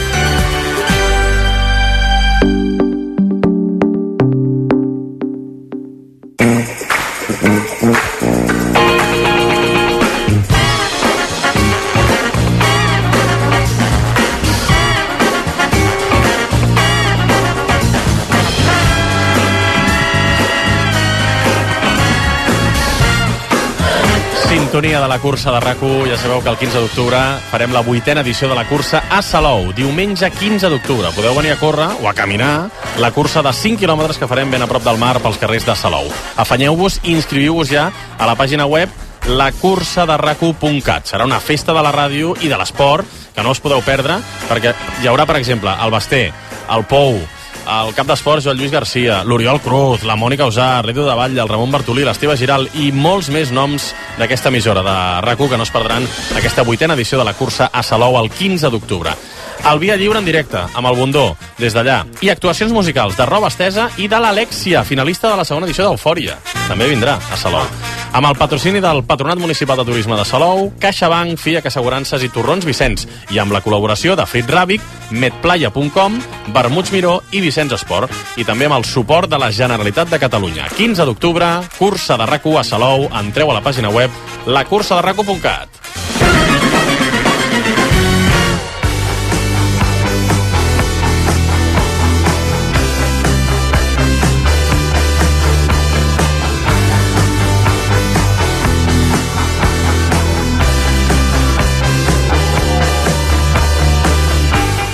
Sintonia de la cursa de RAC u. Ja sabeu que el quinze d'octubre farem la vuitena edició de la cursa a Salou. Diumenge quinze d'octubre. Podeu venir a córrer o a caminar la cursa de cinc quilòmetres que farem ben a prop del mar pels carrers de Salou. Afanyeu-vos i inscriviu-vos ja a la pàgina web la cursa de rac u punt cat. Serà una festa de la ràdio i de l'esport que no us podeu perdre, perquè hi haurà, per exemple, el Basté, el Pou, el cap d'esports Joan Lluís Garcia, l'Oriol Cruz, la Mònica Usar, l'Edu de Batlle, el Ramon Bartolí, l'Esteve Giral i molts més noms d'aquesta emissora de RAC u que no es perdran aquesta vuitena edició de la cursa a Salou el quinze d'octubre. El Via Lliure en directe, amb el Bundó, des d'allà. I actuacions musicals de Roba Estesa i de l'Alexia, finalista de la segona edició d'Eufòria. També vindrà a Salou. Amb el patrocini del Patronat Municipal de Turisme de Salou, CaixaBank, Fiac Assegurances i Torrons Vicenç. I amb la col·laboració de Frit Ràbic, medplaya punt com, Vermuts Miró i Vicenç Esport. I també amb el suport de la Generalitat de Catalunya. quinze d'octubre, cursa de RAC u a Salou. Entreu a la pàgina web la cursa de rac u punt cat.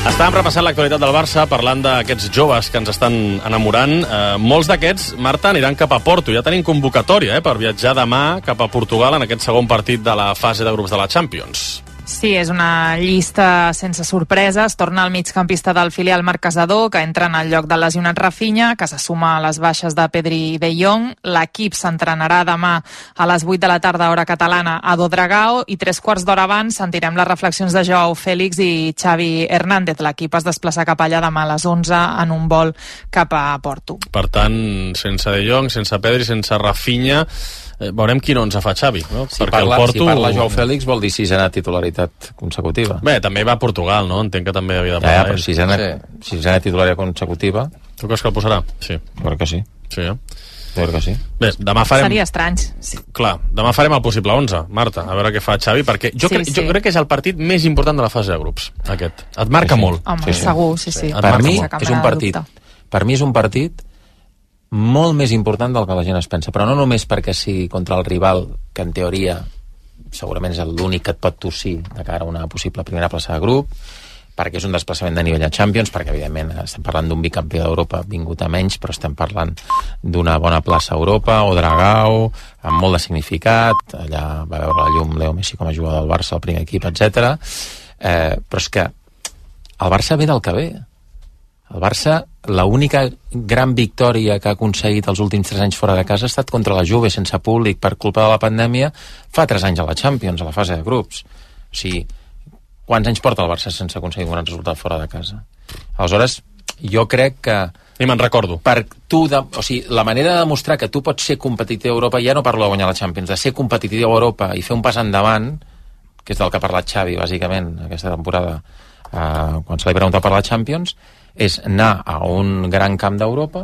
Estàvem repassant l'actualitat del Barça, parlant d'aquests joves que ens estan enamorant. Eh, molts d'aquests, Marta, aniran cap a Porto. Ja tenim convocatòria eh, per viatjar demà cap a Portugal en aquest segon partit de la fase de grups de la Champions. Sí, és una llista sense sorpreses. Torna el migcampista del filial Marc Casador, que entra en el lloc del lesionat Rafinha, que se suma a les baixes de Pedri i De Jong. L'equip s'entrenarà demà a les vuit de la tarda, hora catalana, a Dodragao, i tres quarts d'hora abans sentirem les reflexions de Joao Félix i Xavi Hernández. L'equip es desplaça cap allà demà a les onze en un vol cap a Porto. Per tant, sense De Jong, sense Pedri, sense Rafinha, veurem quin onze fa Xavi, no? Si parla, el Porto... si parla Joao Fèlix vol dir sisena titularitat consecutiva. Bé, també va a Portugal, no? Entenc que també havia de parlar. Ja, ja, però sisena, sí. sisena titularitat consecutiva... Tu creus que el posarà? Sí. Jo crec que sí. Sí, eh? Jo crec que sí. Bé, demà farem... Seria estrany. Sí. Clar, demà farem el possible onze, Marta, a veure què fa Xavi, perquè jo, sí, cre... sí. jo crec que és el partit més important de la fase de grups, aquest. Et marca sí, sí. molt. Home, sí, sí. segur, sí, sí. Per mi és un partit... Per mi és un partit molt més important del que la gent es pensa, però no només perquè sigui contra el rival, que en teoria segurament és l'únic que et pot tossir de cara a una possible primera plaça de grup, perquè és un desplaçament de nivell a Champions, perquè evidentment estem parlant d'un bicampió d'Europa vingut a menys, però estem parlant d'una bona plaça a Europa, o Dragao, amb molt de significat, allà va veure la llum Leo Messi com a jugador del Barça, el primer equip, etcètera. Eh, però és que el Barça ve del que ve. El Barça, l'única gran victòria que ha aconseguit els últims tres anys fora de casa ha estat contra la Juve, sense públic, per culpa de la pandèmia, fa tres anys a la Champions, a la fase de grups. O sigui, quants anys porta el Barça sense aconseguir un gran resultat fora de casa? Aleshores, jo crec que... I me'n recordo. Per tu de, o sigui, la manera de demostrar que tu pots ser competitiu a Europa, ja no parlo de guanyar la Champions, de ser competitiu a Europa i fer un pas endavant, que és del que ha parlat Xavi, bàsicament, aquesta temporada, eh, quan se li pregunta per la Champions, és anar a un gran camp d'Europa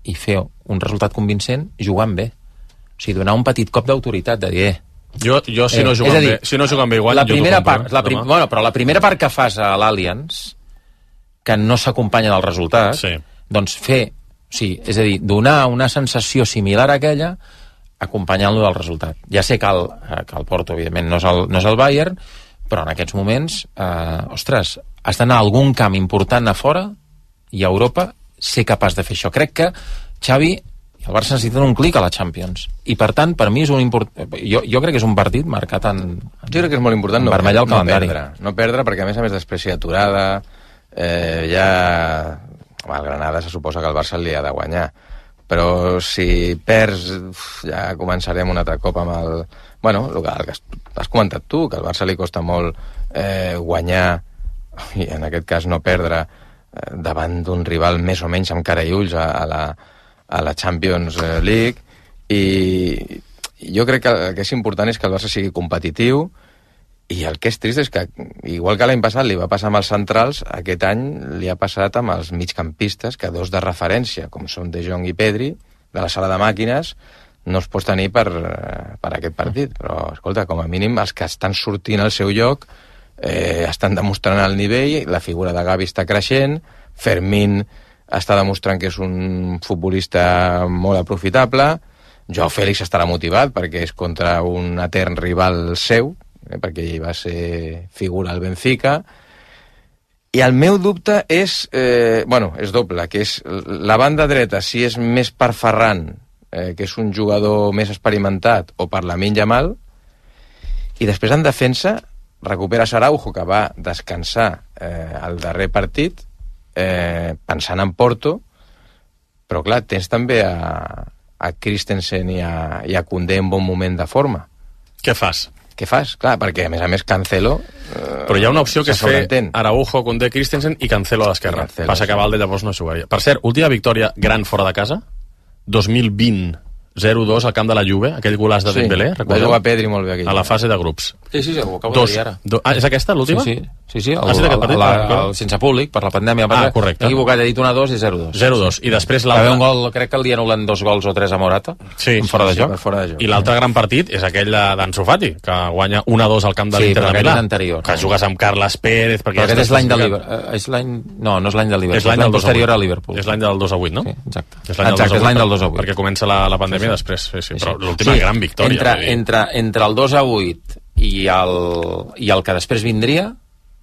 i fer un resultat convincent jugant bé. O sigui, donar un petit cop d'autoritat, de dir... Eh, Jo, jo si, eh, no juguen dir, bé, si no juguen bé igual, la primera jo part, la prim, bueno, però la primera part que fas a l'Allianz, que no s'acompanya del resultat, sí. doncs fer, o sigui, és a dir, donar una sensació similar a aquella acompanyant-lo del resultat. Ja sé que el, que el Porto, evidentment, no és el, no és el Bayern, però en aquests moments, eh, ostres, has d'anar a algun camp important a fora i a Europa ser capaç de fer això. Crec que Xavi i el Barça necessiten un clic a la Champions. I, per tant, per mi és un import... Jo, jo crec que és un partit marcat en, en Jo crec que és molt important no, vermell al no calendari. perdre. No perdre, perquè a més a més després hi ha aturada, eh, ja... Home, el Granada se suposa que el Barça li ha de guanyar. Però si perds, uf, ja començarem un altre cop amb el... Bueno, el que, el que has comentat tu, que al Barça li costa molt eh, guanyar, i en aquest cas no perdre, eh, davant d'un rival més o menys amb cara i ulls a, a la... a la Champions League, i jo crec que el que és important és que el Barça sigui competitiu, i el que és trist és que, igual que l'any passat li va passar amb els centrals, aquest any li ha passat amb els migcampistes, que dos de referència, com són De Jong i Pedri, de la sala de màquines, no es pot tenir per, per aquest partit. Però, escolta, com a mínim, els que estan sortint al seu lloc eh, estan demostrant el nivell, la figura de Gavi està creixent, Fermín està demostrant que és un futbolista molt aprofitable, Joao Fèlix estarà motivat perquè és contra un etern rival seu, eh, perquè ell va ser figura al Benfica, i el meu dubte és, eh, bueno, és doble, que és la banda dreta, si és més per Ferran, eh, que és un jugador més experimentat, o per Lamine Yamal, i després en defensa recupera Araujo, que va descansar eh, el darrer partit, Eh, pensant en Porto, però clar, tens també a, a Christensen i a, i a Koundé en bon moment de forma. Què fas? Què fas? Clar, perquè a més a més Cancelo... Eh, però hi ha una opció que és fer Araujo, Koundé, Christensen i Cancelo a l'esquerra. Passa que Valde llavors no jugaria. Per cert, última victòria gran fora de casa, dos mil vint, zero dos al camp de la Juve, aquell golaç de sí, Dembélé, va jugar Pedri molt bé aquell. A la fase de grups. Sí, sí, ho acabo Dos, de dir ara. Do, ah, és aquesta l'última? Sí, sí. Sí, sí, el, ah, sí, el, partit, la, la, el, sense públic, per la pandèmia. Ah, correcte. M'he equivocat, he dit una dos i zero dos. zero dos. I després l'altre... l'altre... un gol, crec que el dia anul·len dos gols o tres a Morata, sí, fora de sí, joc. fora de joc. I l'altre gran partit és aquell d'Ansu Fati, que guanya un a dos al camp de sí, l'Inter de Milà. Anterior. Que jugues amb Carles Pérez... Però aquest és l'any de Liverpool. És l'any... No, no és l'any de Liverpool. És l'any del posterior a Liverpool. És l'any del dos a vuit, no? Sí, exacte. És l'any exacte, és l'any del dos a vuit. Perquè comença la, la pandèmia sí, sí. després. Sí, sí. Però l'última sí, gran victòria. Entre, entre, entre el dos a vuit i el, i el que després vindria,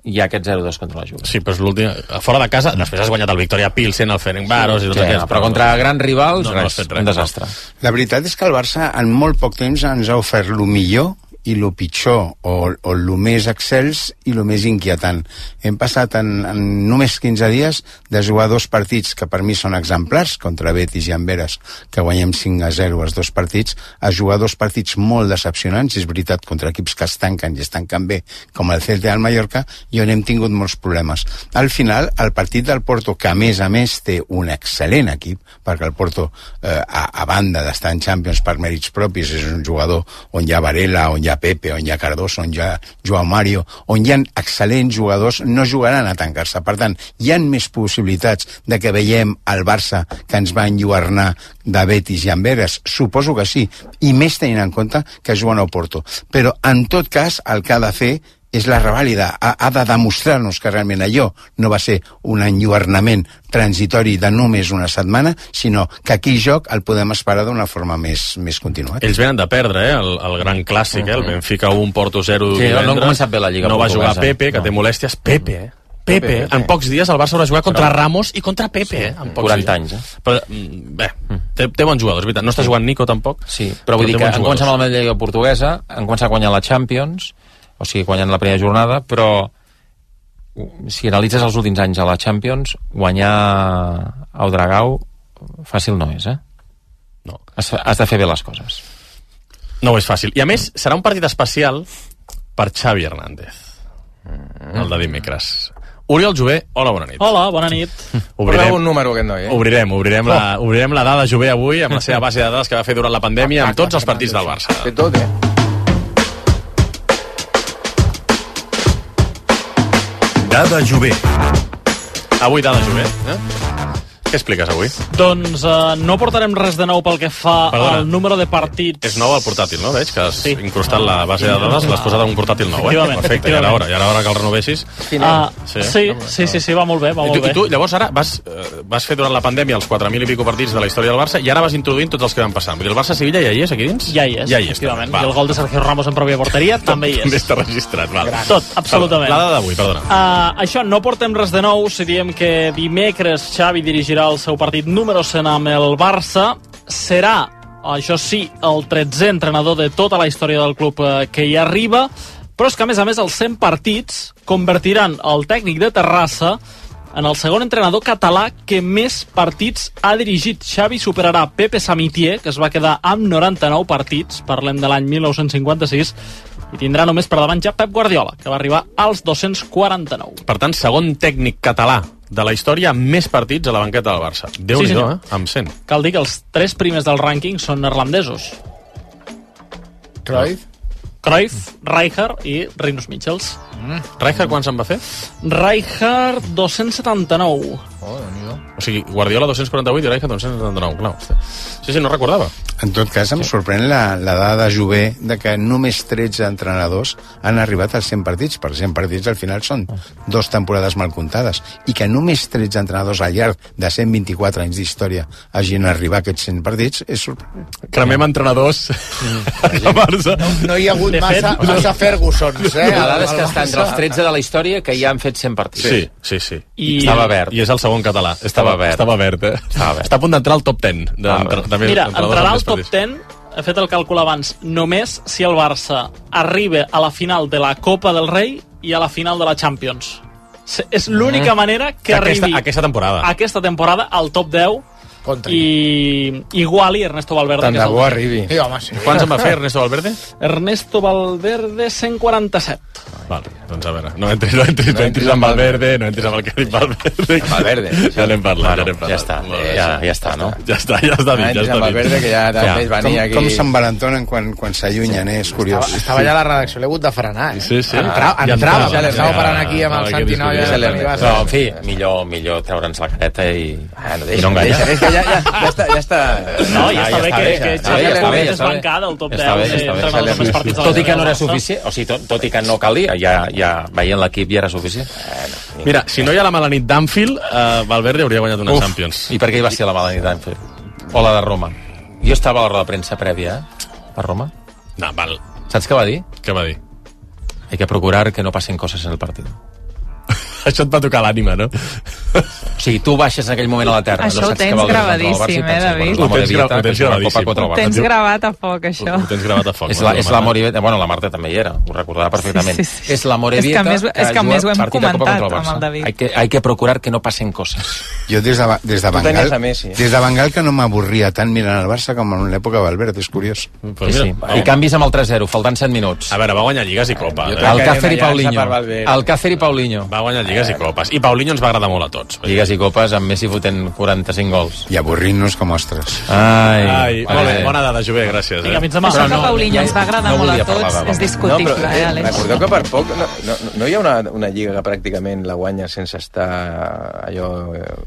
hi ha aquest zero dos contra la Juve. Sí, però és l'últim... Fora de casa, després has guanyat el Victoria Pilsen, el Ferencváros... Sí, i tot sí, aquest, no, però contra grans rivals, no, res, no res, un desastre. La veritat és que el Barça en molt poc temps ens ha ofert el millor i lo pitjor, o, o lo més excels i lo més inquietant. Hem passat en, en només quinze dies de jugar dos partits que per mi són exemplars, contra Betis i Amberes, que guanyem cinc a zero els dos partits, a jugar dos partits molt decepcionants, és veritat, contra equips que es tanquen i es tanquen bé, com el Celta i el Mallorca, i on hem tingut molts problemes. Al final, el partit del Porto, que a més a més té un excel·lent equip, perquè el Porto, eh, a, a banda d'estar en Champions per mèrits propis, és un jugador on hi ha Varela, on hi ha Pepe, on hi ha Cardoso, on hi ha Joao Mario, on hi ha excel·lents jugadors, no jugaran a tancar-se. Per tant, hi ha més possibilitats de que veiem el Barça que ens va enlluernar de Betis i Amberes? Suposo que sí, i més tenint en compte que juguen al Porto. Però, en tot cas, el que ha de fer és la revàlida, ha, ha de demostrar-nos que realment allò no va ser un enlluernament transitori de només una setmana, sinó que aquí el joc el podem esperar d'una forma més, més continuada. Ells venen de perdre, eh? el, el gran clàssic, eh? el Benfica un, Porto zero sí, divendres. No han començat bé la Lliga No va portuguesa. jugar Pepe, que no. té molèsties. Pepe, eh? Pepe, Pepe, Pepe. En pocs dies el Barça haurà jugat contra Però... Ramos i contra Pepe, sí, eh? En pocs quaranta dies. anys, eh? Però, bé, té, té bons jugadors, veritat. No està jugant Nico, tampoc. Sí, però vull dir que han començat amb la Lliga portuguesa, han començat guanyant la Champions, o sigui, guanyant la primera jornada, però si analitzes els últims anys a la Champions, guanyar al Dragao fàcil no és, eh? No. Has, has de fer bé les coses. No ho és fàcil. I a més, serà un partit especial per Xavi Hernández, el de dimecres. Oriol Jové, hola, bona nit. Hola, bona nit. Obrirem un número aquest noi, eh? Obrirem, obrirem, oh. la, obrirem la dada Jové avui amb la seva base de dades que va fer durant la pandèmia amb tots els partits del Barça. Té tot, eh? Dada Jové. Avui Dada Jové, eh? Què expliques avui? Doncs uh, no portarem res de nou pel que fa Perdona. al número de partits. És nou el portàtil, no? Veig que has sí. incrustat la base de dades, l'has posat en un portàtil nou, eh? Perfecte, i ara hora, i ara hora que el renovessis. Uh, sí, sí, sí, sí, sí, va molt bé, va I molt tu, bé. I tu, llavors, ara vas, uh, vas fer durant la pandèmia els quatre mil i pico partits de la història del Barça i ara vas introduint tots els que van passar. Vull dir, el Barça-Sevilla ja hi és, aquí dins? Ja hi és, ja hi és efectivament. I el gol de Sergio Ramos en pròpia porteria també hi és. També està registrat, val. Tot, absolutament. La dada d'avui, perdona. Uh, això, no portem res de nou si diem que dimecres Xavi dirigirà el seu partit número cent amb el Barça. Serà, això sí, el tretzè entrenador de tota la història del club que hi arriba, però és que, a més a més, els cent partits convertiran el tècnic de Terrassa en el segon entrenador català que més partits ha dirigit. Xavi superarà Pepe Samitier, que es va quedar amb noranta-nou partits, parlem de l'any mil nou-cents cinquanta-sis, i tindrà només per davant ja Pep Guardiola, que va arribar als dos-cents quaranta-nou. Per tant, segon tècnic català de la història amb més partits a la banqueta del Barça. Déu-n'hi-do, sí, eh? Amb cent. Cal dir que els tres primers del rànquing són neerlandesos. Cruyff? Cruyff, Rijkaard i Rinus Michels. Mm. Rijkaard quan se'n va fer? Rijkaard dos-cents setanta-nou. Oh, Déu-n'hi-do. O sigui, Guardiola dos-cents quaranta-vuit i Rijkaard dos-cents setanta-nou. Clar, sí, sí, no recordava. En tot cas, em sorprèn la, la dada de Jové de que només tretze entrenadors han arribat als cent partits. Per cent partits al final són dos temporades mal comptades. I que només tretze entrenadors al llarg de cent vint-i-quatre anys d'història hagin arribat a aquests cent partits és sorprenent. Cremem entrenadors mm. a Barça. No, no hi ha hagut massa, massa Fergusons, eh? La dada és que està entre els tretze de la història que ja han fet cent partits. Sí, sí, sí. I estava verd. I és el segon català. Estava verd. Estava verd, eh? Estava verd. Està a punt d'entrar al top deu. De, de, de, Mira, entrarà al top deu, he fet el càlcul abans, només si el Barça arriba a la final de la Copa del Rei i a la final de la Champions. És l'única manera que aquesta, arribi aquesta temporada. aquesta temporada al top deu Contra. i iguali Ernesto Valverde. Tant de bo arribi. Sí, home, sí. Quants en va fer Ernesto Valverde? Ernesto Valverde, cent quaranta-set. Vale, doncs a veure, no entris, no entris, no entris amb Valverde, no entris amb el que ha dit Valverde. Valverde. Ja n'hem parlat, bueno, ja n'hem parlat. Ja està, ja, ja està, no? Ja està, ja està dit, ja està dit. Valverde, que ja també es venia aquí. Com se'n valentonen quan, quan s'allunyen, eh? És curiós. Estava, estava allà a la redacció, l'he hagut de frenar, eh? Sí, sí. Entra, Ja entrava, entrava, ja l'estava ja, parant aquí amb ja, el ja, Santi Noia. ja, ja, Ja, No, en fi, millor, millor treure'ns la careta i, Ah, no, i deixa, no enganyar. deixa, és que ja, ja, ja està, ja està. No, ja està bé que, que està Xavi bé, està bé, és està bé. bancada al top Està deu bé, de està bé. entrenadors més partits de la Tot i que no era Barça. suficient, o sigui, tot, tot i que no calia, ja, ja veient l'equip ja era suficient. Mira, si no hi ha la mala nit d'Anfield, uh, Valverde hauria guanyat una Uf, Champions. I per què hi va ser la mala nit d'Anfield? O la de Roma? Jo estava a la roda de premsa prèvia, eh? A Roma. No, val. Saps què va dir? Què va dir? Hay que procurar que no passen coses en el partit. Això et va tocar l'ànima, no? O sigui, tu baixes en aquell moment a la terra. Això no ho saps tens que vol gravadíssim, eh, David? Ho tens, gra ho tens gravat. Ho tens gravat a foc, això. Ho tens gravat a foc. És la, és la Morevita, bueno, la Marta també hi era, ho recordava perfectament. Sí, sí, sí. És la Morevita és que, més, és que, que més ho hem comentat amb el David. Hay que, hay que procurar que no passen coses. Jo des de, des de Bengal, des de Bengal que no m'avorria tant mirant el Barça com en l'època Valverde, és curiós. Pues sí, sí. I canvis amb el tres zero, faltant set minuts. A veure, va guanyar Lligues i Copa. Alcácer i Paulinho. Alcácer i Paulinho. Va guanyar Lligues i Copes. I Paulinho ens va agradar molt a tots. Lligues i Copes amb Messi fotent quaranta-cinc gols. I avorrint-nos com ostres. Ai, Ai molt bé, bona dada, Jové, gràcies. Vinga, fins demà. Això que Paulinho ens va agradar molt a tots és discutible, no, però, eh, Àlex? Recordeu que per poc no, no, no hi ha una, una lliga que pràcticament la guanya sense estar allò eh,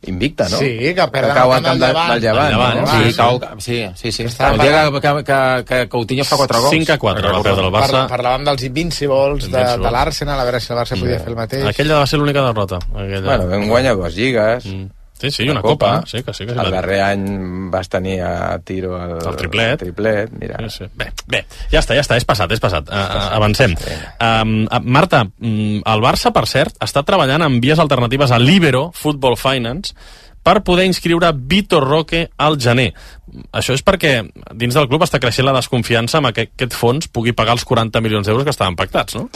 invicta, no? Sí, que perden que cau el camp del Llevant. Del Llevant, Llevant, no? sí, cau, sí, sí, sí. El dia que, que, que, que Coutinho fa quatre gols. cinc a quatre va perdre el Barça. Par Parlàvem dels Invincibles, de, de l'Arsenal, a veure si el Barça podia fer el mateix. Aquella va ser l'única derrota. Aquella... Bueno, vam guanyar dues lligues. Mm. Sí, sí, una copa. copa. Sí, que sí, que sí, el darrer any vas tenir a tiro el, el triplet. El triplet, mira. Sí, sí. Bé, bé, ja està, ja està, és passat, és passat. Uh, avancem. Um, uh, Marta, um, el Barça, per cert, està treballant en vies alternatives a Libero, Football Finance, per poder inscriure Vitor Roque al gener. Això és perquè dins del club està creixent la desconfiança amb que aquest fons pugui pagar els quaranta milions d'euros que estaven pactats, no?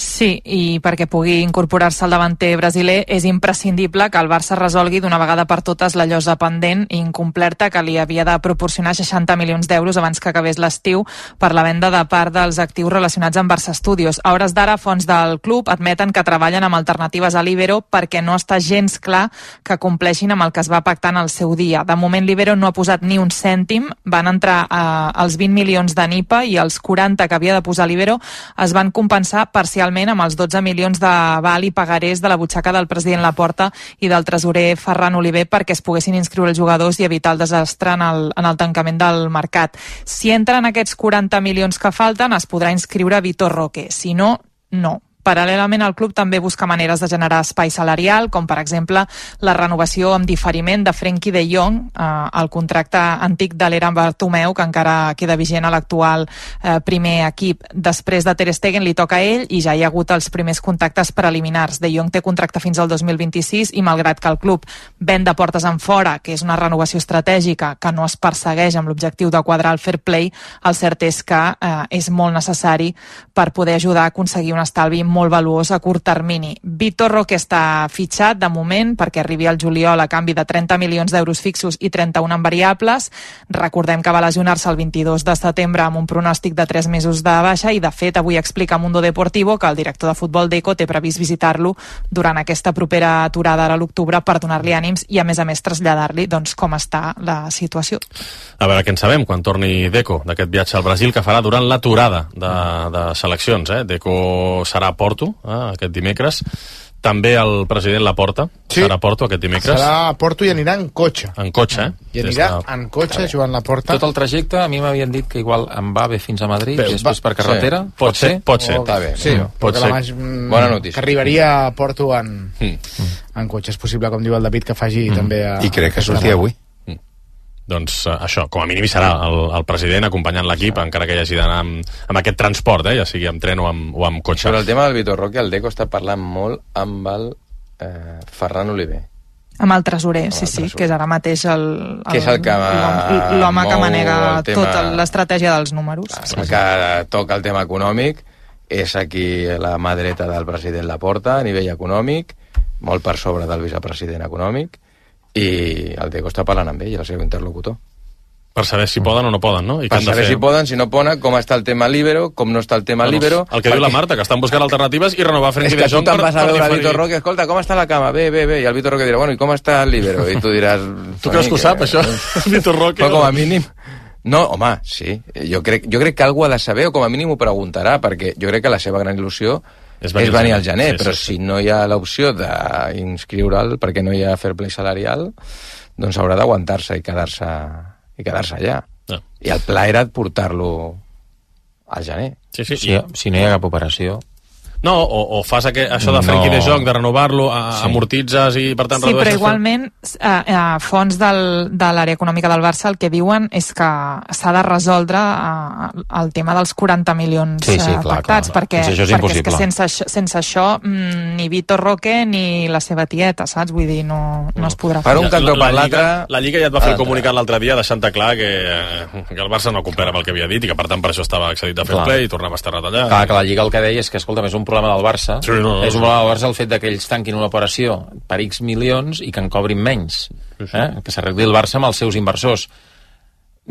Sí, i perquè pugui incorporar-se al davanter brasiler és imprescindible que el Barça resolgui d'una vegada per totes la llosa pendent i incomplerta que li havia de proporcionar seixanta milions d'euros abans que acabés l'estiu per la venda de part dels actius relacionats amb Barça Studios. A hores d'ara, fons del club admeten que treballen amb alternatives a Libero perquè no està gens clar que compleixin amb el que es va pactar en el seu dia. De moment, Libero no ha posat ni un cèntim, van entrar eh, els vint milions de Nipa i els quaranta que havia de posar Libero es van compensar parcialment amb els dotze milions de val i pagarés de la butxaca del president Laporta i del tresorer Ferran Oliver perquè es poguessin inscriure els jugadors i evitar el desastre en el, en el tancament del mercat. Si entren aquests quaranta milions que falten, es podrà inscriure Vitor Roque. Si no, no. Paral·lelament, el club també busca maneres de generar espai salarial, com per exemple la renovació amb diferiment de Frenkie de Jong, eh, el contracte antic de l'Eren Bartomeu, que encara queda vigent a l'actual eh, primer equip. Després de Ter Stegen li toca a ell i ja hi ha hagut els primers contactes preliminars. De Jong té contracte fins al dos mil vint-i-sis i malgrat que el club ven de portes en fora, que és una renovació estratègica que no es persegueix amb l'objectiu de quadrar el fair play, el cert és que eh, és molt necessari per poder ajudar a aconseguir un estalvi molt valuós a curt termini. Vitor Roque està fitxat de moment perquè arribi al juliol a canvi de trenta milions d'euros fixos i trenta-un en variables. Recordem que va lesionar-se el vint-i-dos de setembre amb un pronòstic de tres mesos de baixa i de fet avui explica a Mundo Deportivo que el director de futbol d'Eco té previst visitar-lo durant aquesta propera aturada ara a l'octubre per donar-li ànims i a més a més traslladar-li doncs, com està la situació. A veure què en sabem quan torni Deco d'aquest viatge al Brasil que farà durant l'aturada de, de seleccions. Eh? Deco serà a Porto eh, aquest dimecres. També el president Laporta sí. serà a Porto aquest dimecres. Serà a Porto i anirà en cotxe. En cotxe, eh? I anirà de... en cotxe, Joan Laporta. Tot el trajecte, a mi m'havien dit que igual en va bé fins a Madrid, Bé, i després va... per carretera. Sí. Pot ser? Pot ser. O... bé. Sí, mm. pot ser. Más... Bona notícia. Que arribaria a Porto en, mm. en cotxe. És possible, com diu el David, que faci mm. també a... I crec que sortia avui. Doncs uh, això, com a mínim hi serà el, el president acompanyant l'equip, encara que hi hagi d'anar amb, amb aquest transport, eh, ja sigui amb tren o amb, o amb cotxe. Sobre el tema del Vitor Roque, el Deco està parlant molt amb el eh, Ferran Oliver. Amb el tresorer, amb sí, el sí, tresorer. Que és ara mateix el, el, que és el que l'home que manega tema... tota l'estratègia dels números. El sí, que sí. toca el tema econòmic, és aquí la mà dreta del president Laporta a nivell econòmic, molt per sobre del vicepresident econòmic, i el Deco està parlant amb ell, el seu interlocutor. Per saber si poden o no poden, no? I per saber fer... si poden, si no poden, com està el tema Libero, com no està el tema bueno, Libero... El que perquè... diu la Marta, que estan buscant alternatives i renovar Frenkie de Jong... És que tu te'n vas a veure a Vitor Roque, escolta, com està la cama? Bé, bé, bé, i el Vitor Roque dirà, bueno, i com està el Libero? I tu diràs... Tu creus que ho sap, això? Vitor Roque... Però com a mínim... No, home, sí. Jo crec, jo crec que algú ha de saber, o com a mínim ho preguntarà, perquè jo crec que la seva gran il·lusió és venir, és venir al gener, sí, però sí, sí. si no hi ha l'opció d'inscriure'l perquè no hi ha fair play salarial, doncs haurà d'aguantar-se i quedar-se i quedar-se allà. No. I el pla era portar-lo al gener. Sí, sí. Si, si no hi ha cap operació... No, o, o fas aqu això de Frenkie no. de Jong, de renovar-lo, sí. amortitzes i per tant sí, redueixes... Sí, però igualment eh, eh, fons del, de l'àrea econòmica del Barça el que diuen és que s'ha de resoldre eh, el tema dels quaranta milions sí, sí, clar, pactats, clar, clar. perquè, és perquè és que sense, sense això mm, ni Vitor Roque ni la seva tieta, saps? Vull dir, no, no es podrà fer. Per un cantó per l'altre... La Lliga ja et va fer el comunicat l'altre dia deixant clar que, que el Barça no complera amb el que havia dit i que per tant per això estava excedit de fair play i tornava a estar retallat. Clar, que la Lliga el que deia és que, escolta, és un problema del Barça, sí, no, no, és un problema del Barça el fet que ells tanquin una operació per X milions i que en cobrin menys, sí, sí. Eh? Que s'arregli el Barça amb els seus inversors.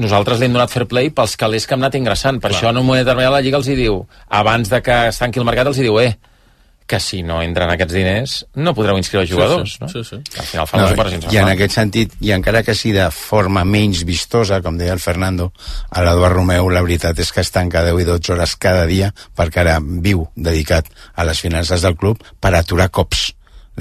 Nosaltres li hem donat fair play pels calés que hem anat ingressant, per Clar. Això en un moment determinat la Lliga els hi diu, abans de que es tanqui el mercat els hi diu, eh, que si no entren aquests diners no podreu inscriure sí, jugadors, sí, no? Sí, sí. Al final fan no, les operacions. I en aquest sentit, i encara que sigui de forma menys vistosa, com deia el Fernando, a l'Eduard Romeu la veritat és que es tanca deu i dotze hores cada dia perquè ara viu dedicat a les finances del club per aturar cops.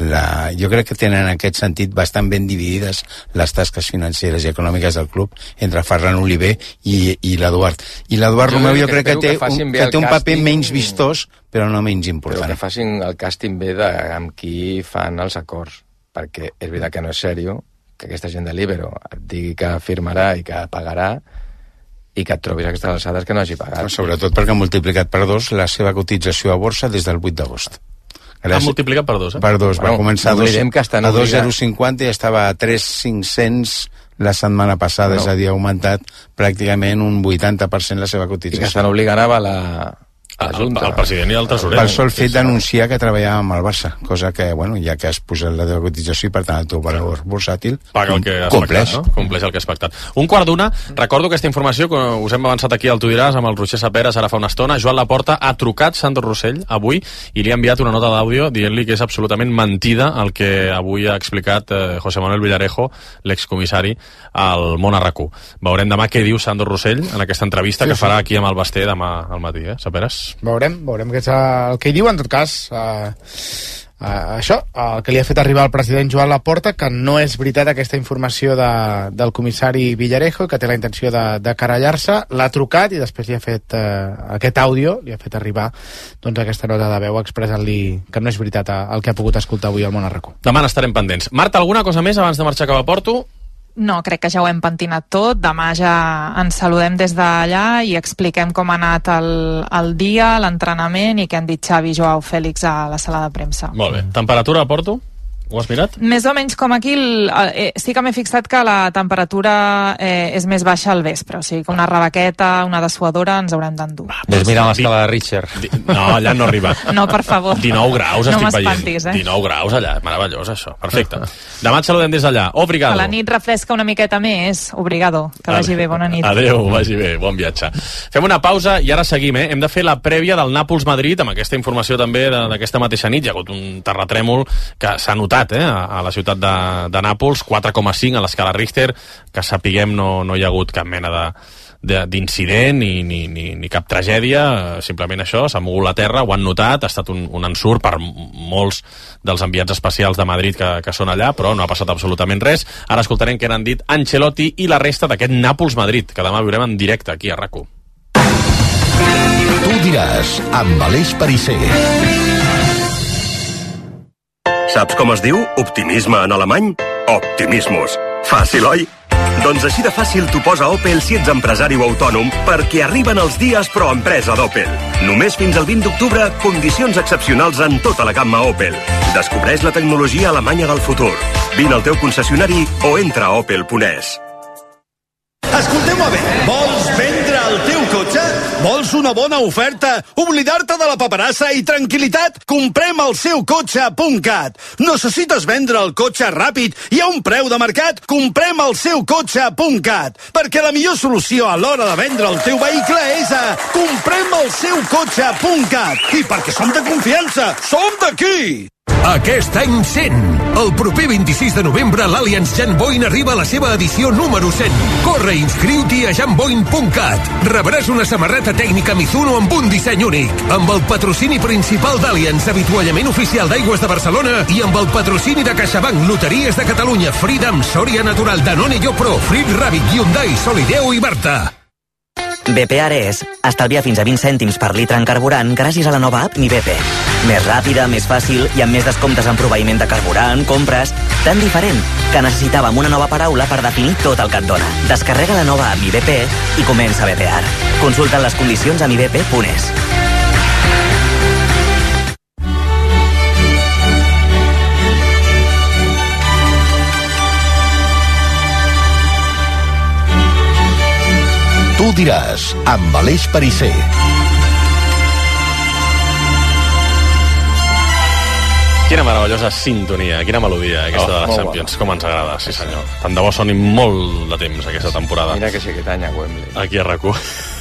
La, jo crec que tenen en aquest sentit bastant ben dividides les tasques financeres i econòmiques del club entre Ferran Oliver i, i l'Eduard. I l'Eduard Romeu jo crec que, que té, que un, que té un paper casting, menys vistós, però no menys important. Però que facin el càsting bé de, amb qui fan els acords, perquè és veritat que no és sèrio que aquesta gent de Libero et digui que firmarà i que pagarà i que et trobis a aquestes alçades que no hagi pagat. Però sobretot perquè ha multiplicat per dos la seva cotització a borsa des del vuit d'agost. Ha multiplicat per dos, eh? Per dos, bueno, va començar dos, a dos coma zero cinquanta i estava a tres mil cinc-cents la setmana passada, no. És a dir, ha augmentat pràcticament un vuitanta per cent la seva cotització. I que estan obligant a la... El, el president i el tresorer. Per sol fet d'anunciar que treballava amb el Barça, cosa que, bueno, ja que has posat la teva cotització i per tant el teu valor bursàtil paga el que has compleix. Pactat, no? Compleix el que has pactat. Un quart d'una, recordo aquesta informació que us hem avançat aquí al Tu diràs amb el Roger Saperes ara fa una estona. Joan Laporta ha trucat Sandro Rossell avui i li ha enviat una nota d'àudio dient-li que és absolutament mentida el que avui ha explicat eh, José Manuel Villarejo, l'excomissari, al Món a RAC u. Veurem demà què diu Sandro Rossell en aquesta entrevista sí, que farà aquí amb el Basté demà al matí, eh, Saperes? Veurem, veurem què és el que hi diu. En tot cas, eh, eh, això, el que li ha fet arribar al president Joan Laporta, que no és veritat aquesta informació de, del comissari Villarejo, que té la intenció de, de querellar-se, l'ha trucat i després li ha fet eh, aquest àudio, li ha fet arribar doncs, aquesta nota de veu expressant-li que no és veritat el que ha pogut escoltar avui al Món a RAC u. Demà n'estarem pendents. Marta, alguna cosa més abans de marxar cap a Porto? No, crec que ja ho hem pentinat tot. Demà ja ens saludem des d'allà i expliquem com ha anat el, el dia, l'entrenament i què han dit Xavi i Joao Fèlix a la sala de premsa. Molt bé. Temperatura a Porto? Ho has mirat? Més o menys com aquí, el, eh, sí que m'he fixat que la temperatura eh, és més baixa al vespre, o sigui que una rebequeta, una dessuadora ens haurem d'endur. Ves mirant l'escala de Richter. No, allà no arriba. No, per favor. dinou graus no estic veient. Eh? dinou graus allà, meravellós això, perfecte. Demà et saludem des d'allà. Obrigado. A la nit refresca una miqueta més, obrigado. Que vagi bé, bona nit. Adéu, vagi bé, bon viatge. Fem una pausa i ara seguim, eh? Hem de fer la prèvia del Nàpols-Madrid, amb aquesta informació també d'aquesta mateixa nit. Hi ha hagut un terratrèmol que s'ha notat, eh? A la ciutat de, de Nàpols, quatre coma cinc a l'escala Richter, que sapiguem no, no hi ha hagut cap mena de d'incident ni, ni, ni, ni cap tragèdia, simplement això, s'ha mogut la terra, ho han notat, ha estat un, un ensurt per molts dels enviats especials de Madrid que, que són allà, però no ha passat absolutament res. Ara escoltarem què n'han dit Ancelotti i la resta d'aquest Nàpols-Madrid, que demà viurem en directe aquí a RAC u. Tu diràs, amb Aleix Perisser. Saps com es diu optimisme en alemany? Optimismus. Fàcil, oi? Doncs així de fàcil t'ho posa Opel si ets empresari o autònom, perquè arriben els dies pro empresa d'Opel. Només fins al vint d'octubre, condicions excepcionals en tota la gamma Opel. Descobreix la tecnologia alemanya del futur. Vine al teu concessionari o entra a opel punt es. Escolteu-me bé, vols vendre el teu cotxe? Vols una bona oferta? Oblidar-te de la paperassa i tranquil·litat? Comprem el seu cotxe punt cat. Necessites vendre el cotxe ràpid i a un preu de mercat? Comprem el seu cotxe punt cat. Perquè la millor solució a l'hora de vendre el teu vehicle és a comprem el seu cotxe punt cat. I perquè som de confiança, som d'aquí! Aquest any cent. El proper vint-i-sis de novembre l'Allianz Jan Boin arriba a la seva edició número cent. Corre i inscriu-t'hi a jan boin punt cat. Rebràs una samarreta tècnica Mizuno amb un disseny únic. Amb el patrocini principal d'Allianz, avituallament oficial d'Aigües de Barcelona i amb el patrocini de CaixaBank, Loteries de Catalunya, Freedom, Sòria Natural, Danone, Yopro, Frit Rabbit, Hyundai, Solideo i Barta. B P Ares estalvia fins a vint cèntims per litre en carburant gràcies a la nova app Mi B P. Més ràpida, més fàcil i amb més descomptes en proveïment de carburant, compres... Tan diferent que necessitàvem una nova paraula per definir tot el que et dona. Descarrega la nova app Mi B P i comença a bepear. Consulta les condicions a mi b p punt es. Tu diràs, amb Aleix Perisser. Quina meravellosa sintonia, quina melodia, aquesta oh, de les Champions, com ens agrada, sí senyor. Tant de bo soni molt de temps aquesta temporada. Mira que sí que tanya Wembley. Aquí a RAC u.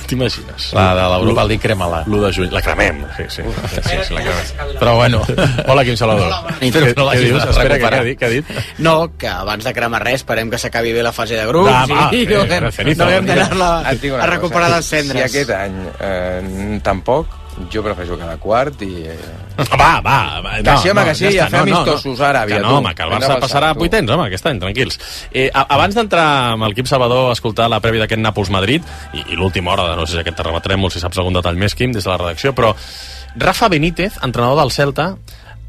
T'imagines? La de l'Europa League, crema-la. l'u de juny, la cremem. Sí, sí, sí, sí, sí la cremem. Però bueno. Hola, Quim Salvador. Què, què dius? Espera, què ha dit? Què ha dit? No, que abans de cremar res, esperem que s'acabi bé la fase de grups ah, va, i eh, no haguem, no haguem d'anar-la a recuperar les cendres. Si aquest any eh, tampoc, jo prefereixo cada quart i... Eh... Va, va, va. Que sí, home, que sí, ja fem no, amistosos ara, que no, home, que el Barça passarà a vuitens, home, aquest any, tranquils. Eh, abans d'entrar amb el Quim Salvador a escoltar la prèvia d'aquest Nàpols-Madrid, i, i l'última hora, no sé si aquest te rebatrem o si saps algun detall més, Quim, des de la redacció, però Rafa Benítez, entrenador del Celta,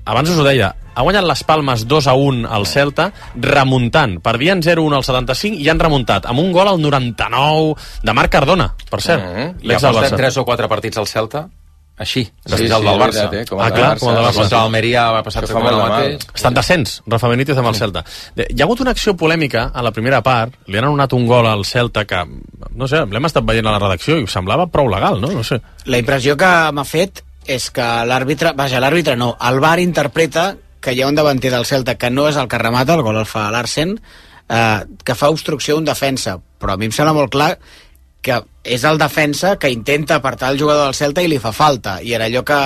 abans us ho deia, ha guanyat les Palmes dos a un al Celta, remuntant. Perdien zero a un al setanta-cinc i han remuntat amb un gol al noranta-nou de Marc Cardona, per cert. Mm-hmm. I ha portat tres o quatre partits al Celta així, sí, sí, el del Barça. Veritat, eh? Com ah, clar, com el del Barça. Contra l'Almeria va passar el mateix. Està en descens, Rafa Benítez amb el Celta. Hi ha hagut una acció polèmica a la primera part, li han anul·lat un gol al Celta que, no sé, l'hem estat veient a la redacció i semblava prou legal, no? No sé. La impressió que m'ha fet és que l'àrbitre, vaja, l'àrbitre no, el V A R interpreta que hi ha un davanter del Celta que no és el que remata, el gol el fa Larsen, eh, que fa obstrucció a un defensa, però a mi em sembla molt clar que és el defensa que intenta apartar el jugador del Celta i li fa falta, i era allò que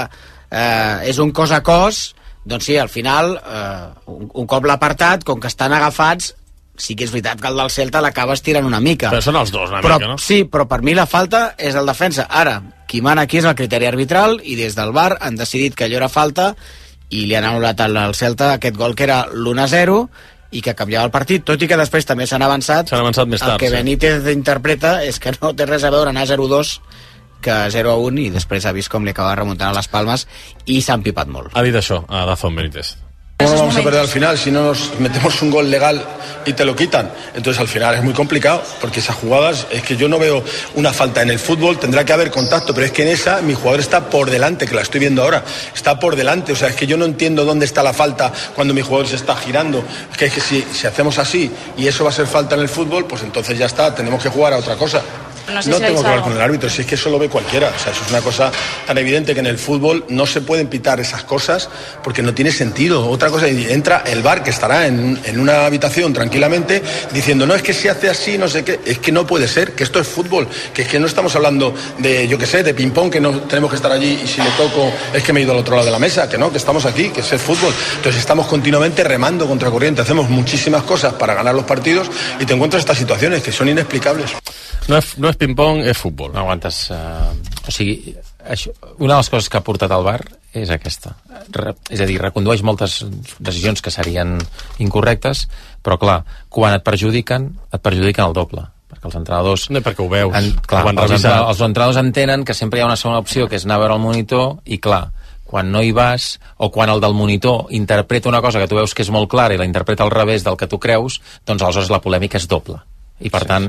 eh, és un cos a cos, doncs sí, al final eh, un, un cop l'ha apartat, com que estan agafats, sí que és veritat que el del Celta l'acaba estirant una mica. Però són els dos una però, mica, no? Sí, però per mi la falta és el defensa. Ara, qui mana aquí és el criteri arbitral i des del V A R han decidit que allò era falta i li han anul·lat al Celta aquest gol que era l'u a zero i que canviava el partit, tot i que després també s'han avançat. S'han avançat més tard, el que Benítez sí. interpreta és que no té res a veure anar zero a dos que zero a un i després ha vist com li acaba remuntant a les Palmes i s'ha empipat molt. Ha dit això a Dazón Benítez. ¿Cómo no vamos a perder al final si no nos metemos un gol legal y te lo quitan? Entonces al final es muy complicado porque esas jugadas, es que yo no veo una falta en el fútbol, tendrá que haber contacto, pero es que en esa mi jugador está por delante, que la estoy viendo ahora, está por delante, o sea, es que yo no entiendo dónde está la falta cuando mi jugador se está girando, es que, es que si, si hacemos así y eso va a ser falta en el fútbol, pues entonces ya está, tenemos que jugar a otra cosa. No, sé no si tengo que algo. hablar con el árbitro, si es que eso lo ve cualquiera. O sea, eso es una cosa tan evidente que en el fútbol no se pueden pitar esas cosas porque no tiene sentido. Otra cosa, entra el V A R que estará en, en una habitación tranquilamente diciendo, no, es que si hace así, no sé qué. Es que no puede ser, que esto es fútbol, que es que no estamos hablando de, yo qué sé, de ping-pong, que no tenemos que estar allí y si le toco es que me he ido al otro lado de la mesa, que no, que estamos aquí, que es el fútbol. Entonces estamos continuamente remando contra corriente, hacemos muchísimas cosas para ganar los partidos y te encuentras estas situaciones que son inexplicables. No és, no és ping-pong, és futbol. No aguantes... Uh, o sigui, això, una de les coses que ha portat al V A R és aquesta. Re, és a dir, recondueix moltes decisions que serien incorrectes, però clar, quan et perjudiquen, et perjudiquen el doble. Perquè els entrenadors... No, perquè ho veus. En, clar, ho els, entrenadors, els entrenadors entenen que sempre hi ha una segona opció, que és anar a veure el monitor, i clar, quan no hi vas, o quan el del monitor interpreta una cosa que tu veus que és molt clara i la interpreta al revés del que tu creus, doncs aleshores la polèmica és doble. I per sí, tant,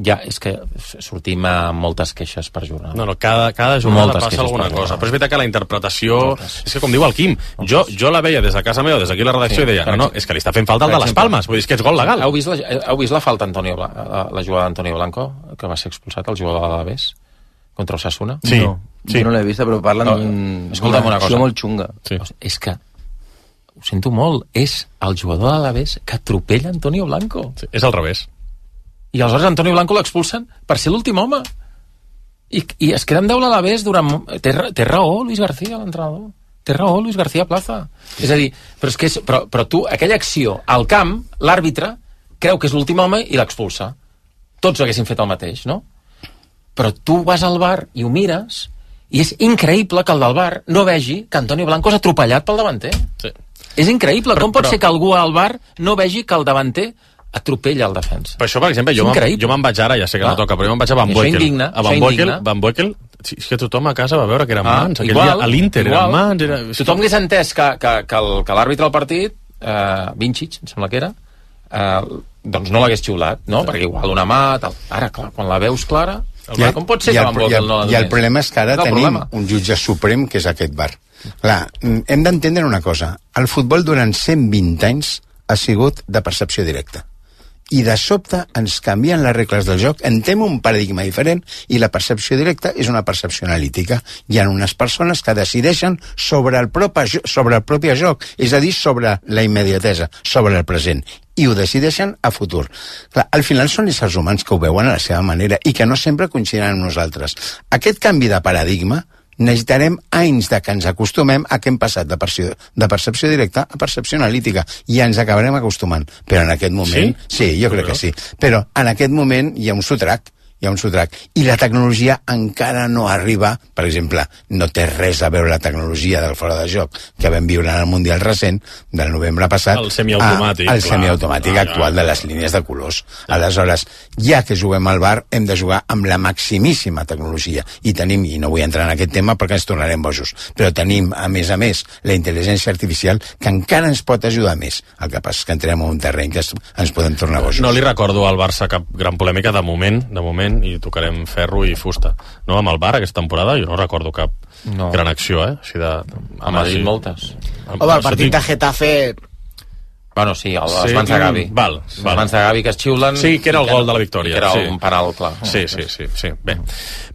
ja és que sortim amb moltes queixes per jornada. No, no, cada, cada jornada moltes passa alguna cosa. Però és veritat que la interpretació... Moltes. És que, com diu el Quim, jo, jo la veia des de casa meva, des d'aquí la redacció, sí, i deia, no, no, és que li està fent falta el de les Palmes, vull dir, és que és gol legal. Heu vist la, heu vist la falta Antonio, la, la jugada d'Antonio Blanco, que va ser expulsat, el jugador de l'Alavés, contra el Osasuna? Sí. No, sí. Jo no l'he vista, però parlen no, d'una una acció molt xunga. Sí. És que ho sento molt, és el jugador de l'Alavés que atropella Antonio Blanco. Sí, és al revés. I aleshores Antonio Blanco l'expulsen per ser l'últim home. I, i es queda amb deu l'Alavés durant... Té, té raó Luis García, l'entrenador. Té raó Luis García Plaza. És a dir, però, és que és, però, però tu, aquella acció, al camp, l'àrbitre creu que és l'últim home i l'expulsa. Tots haguessin fet el mateix, no? Però tu vas al V A R i ho mires i és increïble que el del V A R no vegi que Antonio Blanco és atropellat pel davanter. Sí. És increïble. Però, Com pot però... ser que algú al V A R no vegi que el davanter atropella el defensa. Per això, per exemple, jo me'n, jo me'n vaig ara, ja sé que ah. no toca, però jo me'n vaig a Van Boekel. A Van Boekel, Van Boekel, sí, és que tothom a casa va veure que eren ah, mans. Aquell igual, dia, a l'Inter igual. eren mans. Era... Tothom hagués entès que, que, que, el, que l'àrbitre del partit, eh, Vincic, em sembla que era, eh, doncs no l'hagués xiulat, no? Perquè igual una mà... Tal. Ara, clar, quan la veus clara... El ha, com pot ser que Van Boekel no la donés? I el problema és que ara tenim problema. un jutge suprem que és aquest V A R. Clar, hem d'entendre una cosa. El futbol durant cent vint anys ha sigut de percepció directa. I de sobte ens canvien les regles del joc, entrem un paradigma diferent i la percepció directa és una percepció analítica. Hi ha unes persones que decideixen sobre el propi, sobre el propi joc, és a dir, sobre la immediatesa, sobre el present, i ho decideixen a futur. Clar, al final són éssers humans que ho veuen a la seva manera i que no sempre coincidiran amb nosaltres. Aquest canvi de paradigma necessitarem anys de que ens acostumem a que hem passat de percepció, de percepció directa a percepció analítica i ens acabarem acostumant. Però en aquest moment... Sí, sí jo crec que sí. Però en aquest moment hi ha un sotrac. Hi ha un sotrac. I la tecnologia encara no arriba, per exemple, no té res a veure la tecnologia del fora de joc que vam viure en el Mundial recent del novembre passat. El semiautomàtic. El semiautomàtic clar, actual clar, de les línies de colors. Clar. Aleshores, ja que juguem al V A R, hem de jugar amb la maximíssima tecnologia. I tenim, i no vull entrar en aquest tema perquè ens tornarem bojos, però tenim, a més a més, la intel·ligència artificial que encara ens pot ajudar més. El que passa és que entrem en un terreny que ens podem tornar bojos. No li recordo al Barça cap gran polèmica de moment, de moment, i tocarem ferro i fusta. No, amb el V A R aquesta temporada jo no recordo cap no. gran acció, eh? Així de... A Madrid moltes. Home, el partit de Getafe... Bueno, sí, el, sí, els mans de Gavi. Val, val. Els mans de Gavi que es xiulen... Sí, que era el gol de la victòria. Que era sí. un penal, clar. Sí, sí, sí. sí. Bé,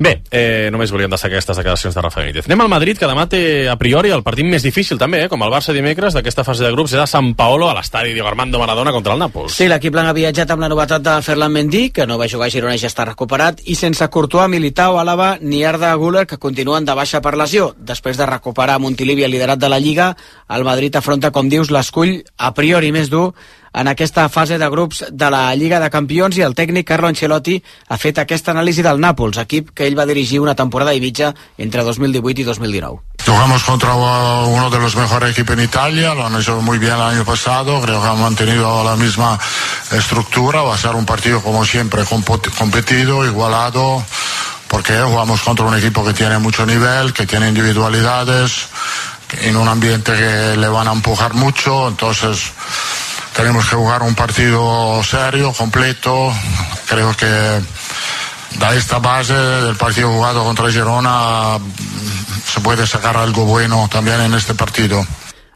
Bé eh, només volíem destacar aquestes declaracions de Rafa Benítez. Anem al Madrid, que demà té, a priori, el partit més difícil també, eh? Com el Barça dimecres d'aquesta fase de grups, és a Sant Paolo, a l'estadi Diego Armando Maradona contra el Nàpols. Sí, l'equip blanc ha viatjat amb la novetat de Ferland Mendy, que no va jugar a Girona i ja està recuperat, i sense Courtois, Militao, Álava ni Arda Güler, que continuen de baixa per lesió. Després de recuperar Montilivi, el liderat de la Lliga, el Madrid afronta, com dius, l'escull a priori més dur en aquesta fase de grups de la Lliga de Campions, i el tècnic Carlo Ancelotti ha fet aquesta anàlisi del Nàpols, equip que ell va dirigir una temporada a Ibiza entre dos mil divuit y dos mil dinou. Jugamos contra uno de los mejores equipos en Italia, lo han hecho muy bien el año pasado, creo que han mantenido la misma estructura, va a ser un partido como siempre competido, igualado, porque jugamos contra un equipo que tiene mucho nivel, que tiene individualidades, en un ambiente que le van a empujar mucho, entonces tenemos que jugar un partido serio, completo. Creo que de esta base del partido jugado contra Girona se puede sacar algo bueno también en este partido.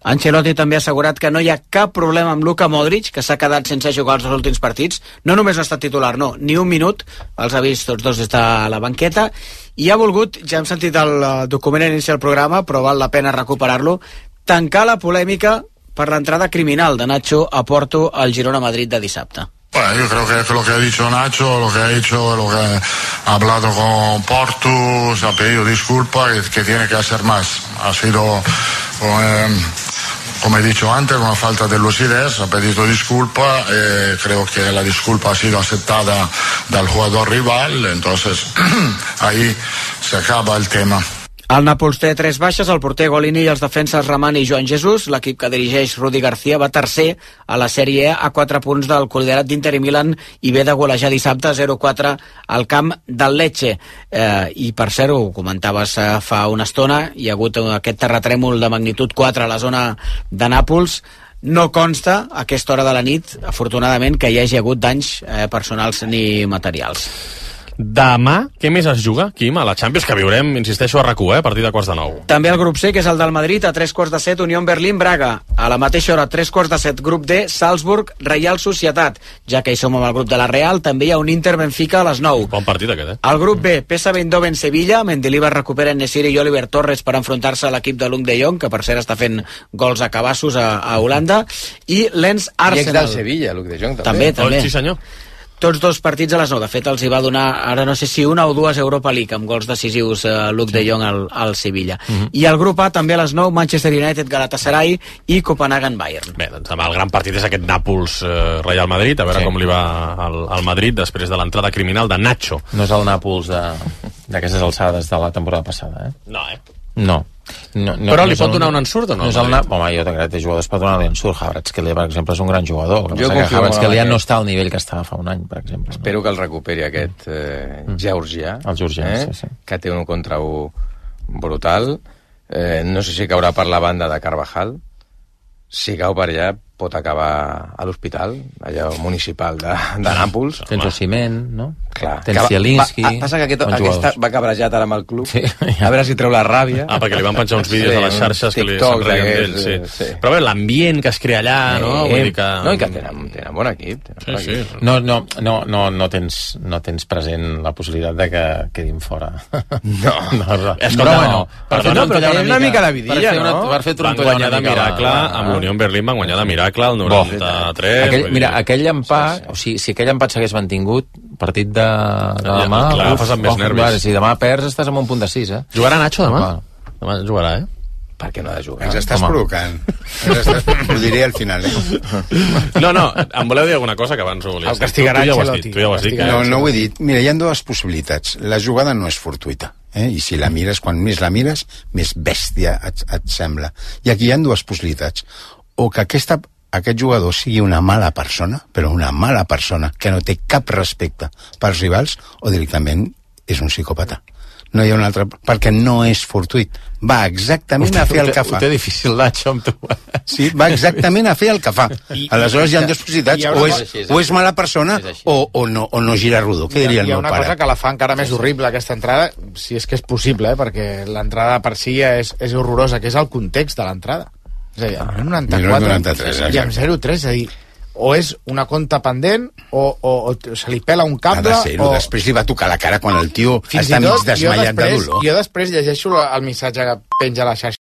Ancelotti també ha assegurat que no hi ha cap problema amb Luka Modric, que s'ha quedat sense jugar els dos últims partits. No només no ha estat titular, no, ni un minut, els ha vist tots dos des de la banqueta, i ha volgut, ja hem sentit el document a l'inici del programa, però val la pena recuperar-lo, tancar la polèmica per l'entrada criminal de Nacho a Porto al Girona-Madrid de dissabte. Bueno, yo creo que lo que ha dicho Nacho, lo que ha hecho, lo que ha hablado con Porto, se ha pedido disculpas, que, que tiene que hacer más. Ha sido, eh, como he dicho antes, una falta de lucidez, ha pedido disculpas, eh, creo que la disculpa ha sido aceptada del jugador rival, entonces ahí se acaba el tema. El Nàpols té tres baixes, el porter Golini i els defenses Ramani i Joan Jesús. L'equip que dirigeix Rudi García va tercer a la Sèrie E a quatre punts del col·liderat d'Inter i Milan i ve de golejar dissabte zero quatre al camp del Lecce. Eh, I per cert, ho comentaves eh, fa una estona, hi ha hagut aquest terratrèmol de magnitud quatre a la zona de Nàpols. No consta a aquesta hora de la nit, afortunadament, que hi hagi hagut danys eh, personals ni materials. Demà, què més es juga, Quim, a la Champions, que viurem, insisteixo, a RAC u, eh, a partir de quarts de nou. També el grup C, que és el del Madrid, a tres quarts de set, Unió Berlín-Braga. A la mateixa hora, tres quarts de set, grup D, Salzburg-Reial Societat. Ja que hi som amb el grup de la Real, també hi ha un Inter-Benfica a les nou. Bon partit aquest, eh? Al grup B, P S V Eindhoven-Sevilla, Mendilibar recupera Nesiri i Oliver Torres per enfrontar-se a l'equip de Luc de Jong, que per cert està fent gols a cabassos a, a Holanda, i Lens-Arsenal. I ex del Sevilla, Luc de Jong, també. També, també. Oh, sí, senyor. Tots dos partits a les nou. De fet, els hi va donar, ara no sé si una o dues Europa League, amb gols decisius eh, Luc de Jong al, al Sevilla. Uh -huh. I al grup A, també a les nou, Manchester United, Galatasaray i Copenhagen-Bayern. Bé, doncs el gran partit és aquest Nàpols-Real eh, Madrid, a veure sí. com li va al, al Madrid després de l'entrada criminal de Nacho. No és el Nàpols d'aquestes alçades de la temporada passada, eh? No, eh? No. No, no, Però no li pot el, donar un ensurt o no? no és el, home, jo crec que jugadors pot donar un ensurt. Kvaratskhelia, per exemple, és un gran jugador. Jo confio que Kvaratskhelia molt no està al nivell que estava fa un any, per exemple. Espero que el recuperi aquest eh, Georgià, el Georgià, eh, sí, sí. que té un contra un brutal. Eh, no sé si caurà per la banda de Carvajal. Si cau per allà, pot acabar a l'hospital, allà municipal de, de Nàpols. Tens Osimhen, no? Clar. Tens Zielinski. Va, passa que aquest, aquest va cabrejat ara amb el club. Sí, ja. A veure si treu la ràbia. Ah, perquè li van penjar uns vídeos sí, a les xarxes que li TikTok, se'n reien d'ell. Sí. Sí. Però bé, l'ambient que es crea allà, eh, no? Vull dir que... No, i que tenen, tenen bon equip. Tenen sí, bon sí. equip. No, no, no, no, no, tens, no tens present la possibilitat de que quedin fora. No. no, no. Escolta, bueno, per fer no, però que hi ha una mica de vidilla, no? no? Per fer van guanyar de miracle, amb l'Unió en Berlín van guanyar de miracle el noranta-tres. Aquell, mira, aquell empat, o sigui, si aquell empat s'hagués mantingut, partit de, de demà... Ja, clar, fas amb més nervis. Clar, si demà perds, estàs amb un punt de sis, eh? Jugarà Nacho demà? Demà jugarà, eh? Per què no ha de jugar? Ens estàs Home. provocant. Ens estàs... Ho diré al final, eh? No, no, em voleu dir alguna cosa que abans ho volies. El castigarà tu, tu ja ho has Ancelotti. dit, tu ja ho has dit. No, no ho he dit. Mira, hi ha dues possibilitats. La jugada no és fortuita. Eh? I si la mires, quan més la mires, més bèstia et, et sembla. I aquí hi ha dues possibilitats. O que aquesta, aquest jugador sigui una mala persona, però una mala persona, que no té cap respecte pels rivals, o directament és un psicòpata. No hi ha un altre... Perquè no és fortuit. Va exactament a fer el que fa. Ho té difícil, Nacho, amb tu. Sí, va exactament a fer el que fa. I, Aleshores hi ha dues possibilitats. O és, o és mala persona o, o, no, o no gira rodó, que diria el meu pare. Hi ha una cosa que la fa encara més horrible, aquesta entrada, si és que és possible, eh, perquè l'entrada per si ja és, és horrorosa, que és el context de l'entrada. És a dir, amb noranta-quatre noranta-tres, i amb zero tres, és a dir, o és una conta pendent o, o, o se li pela un cable ha de ser-ho, o... després li va tocar la cara quan el tio Fins està i tot, mig desmaiat després, de dolor. Jo després llegeixo el missatge que penja a la xarxa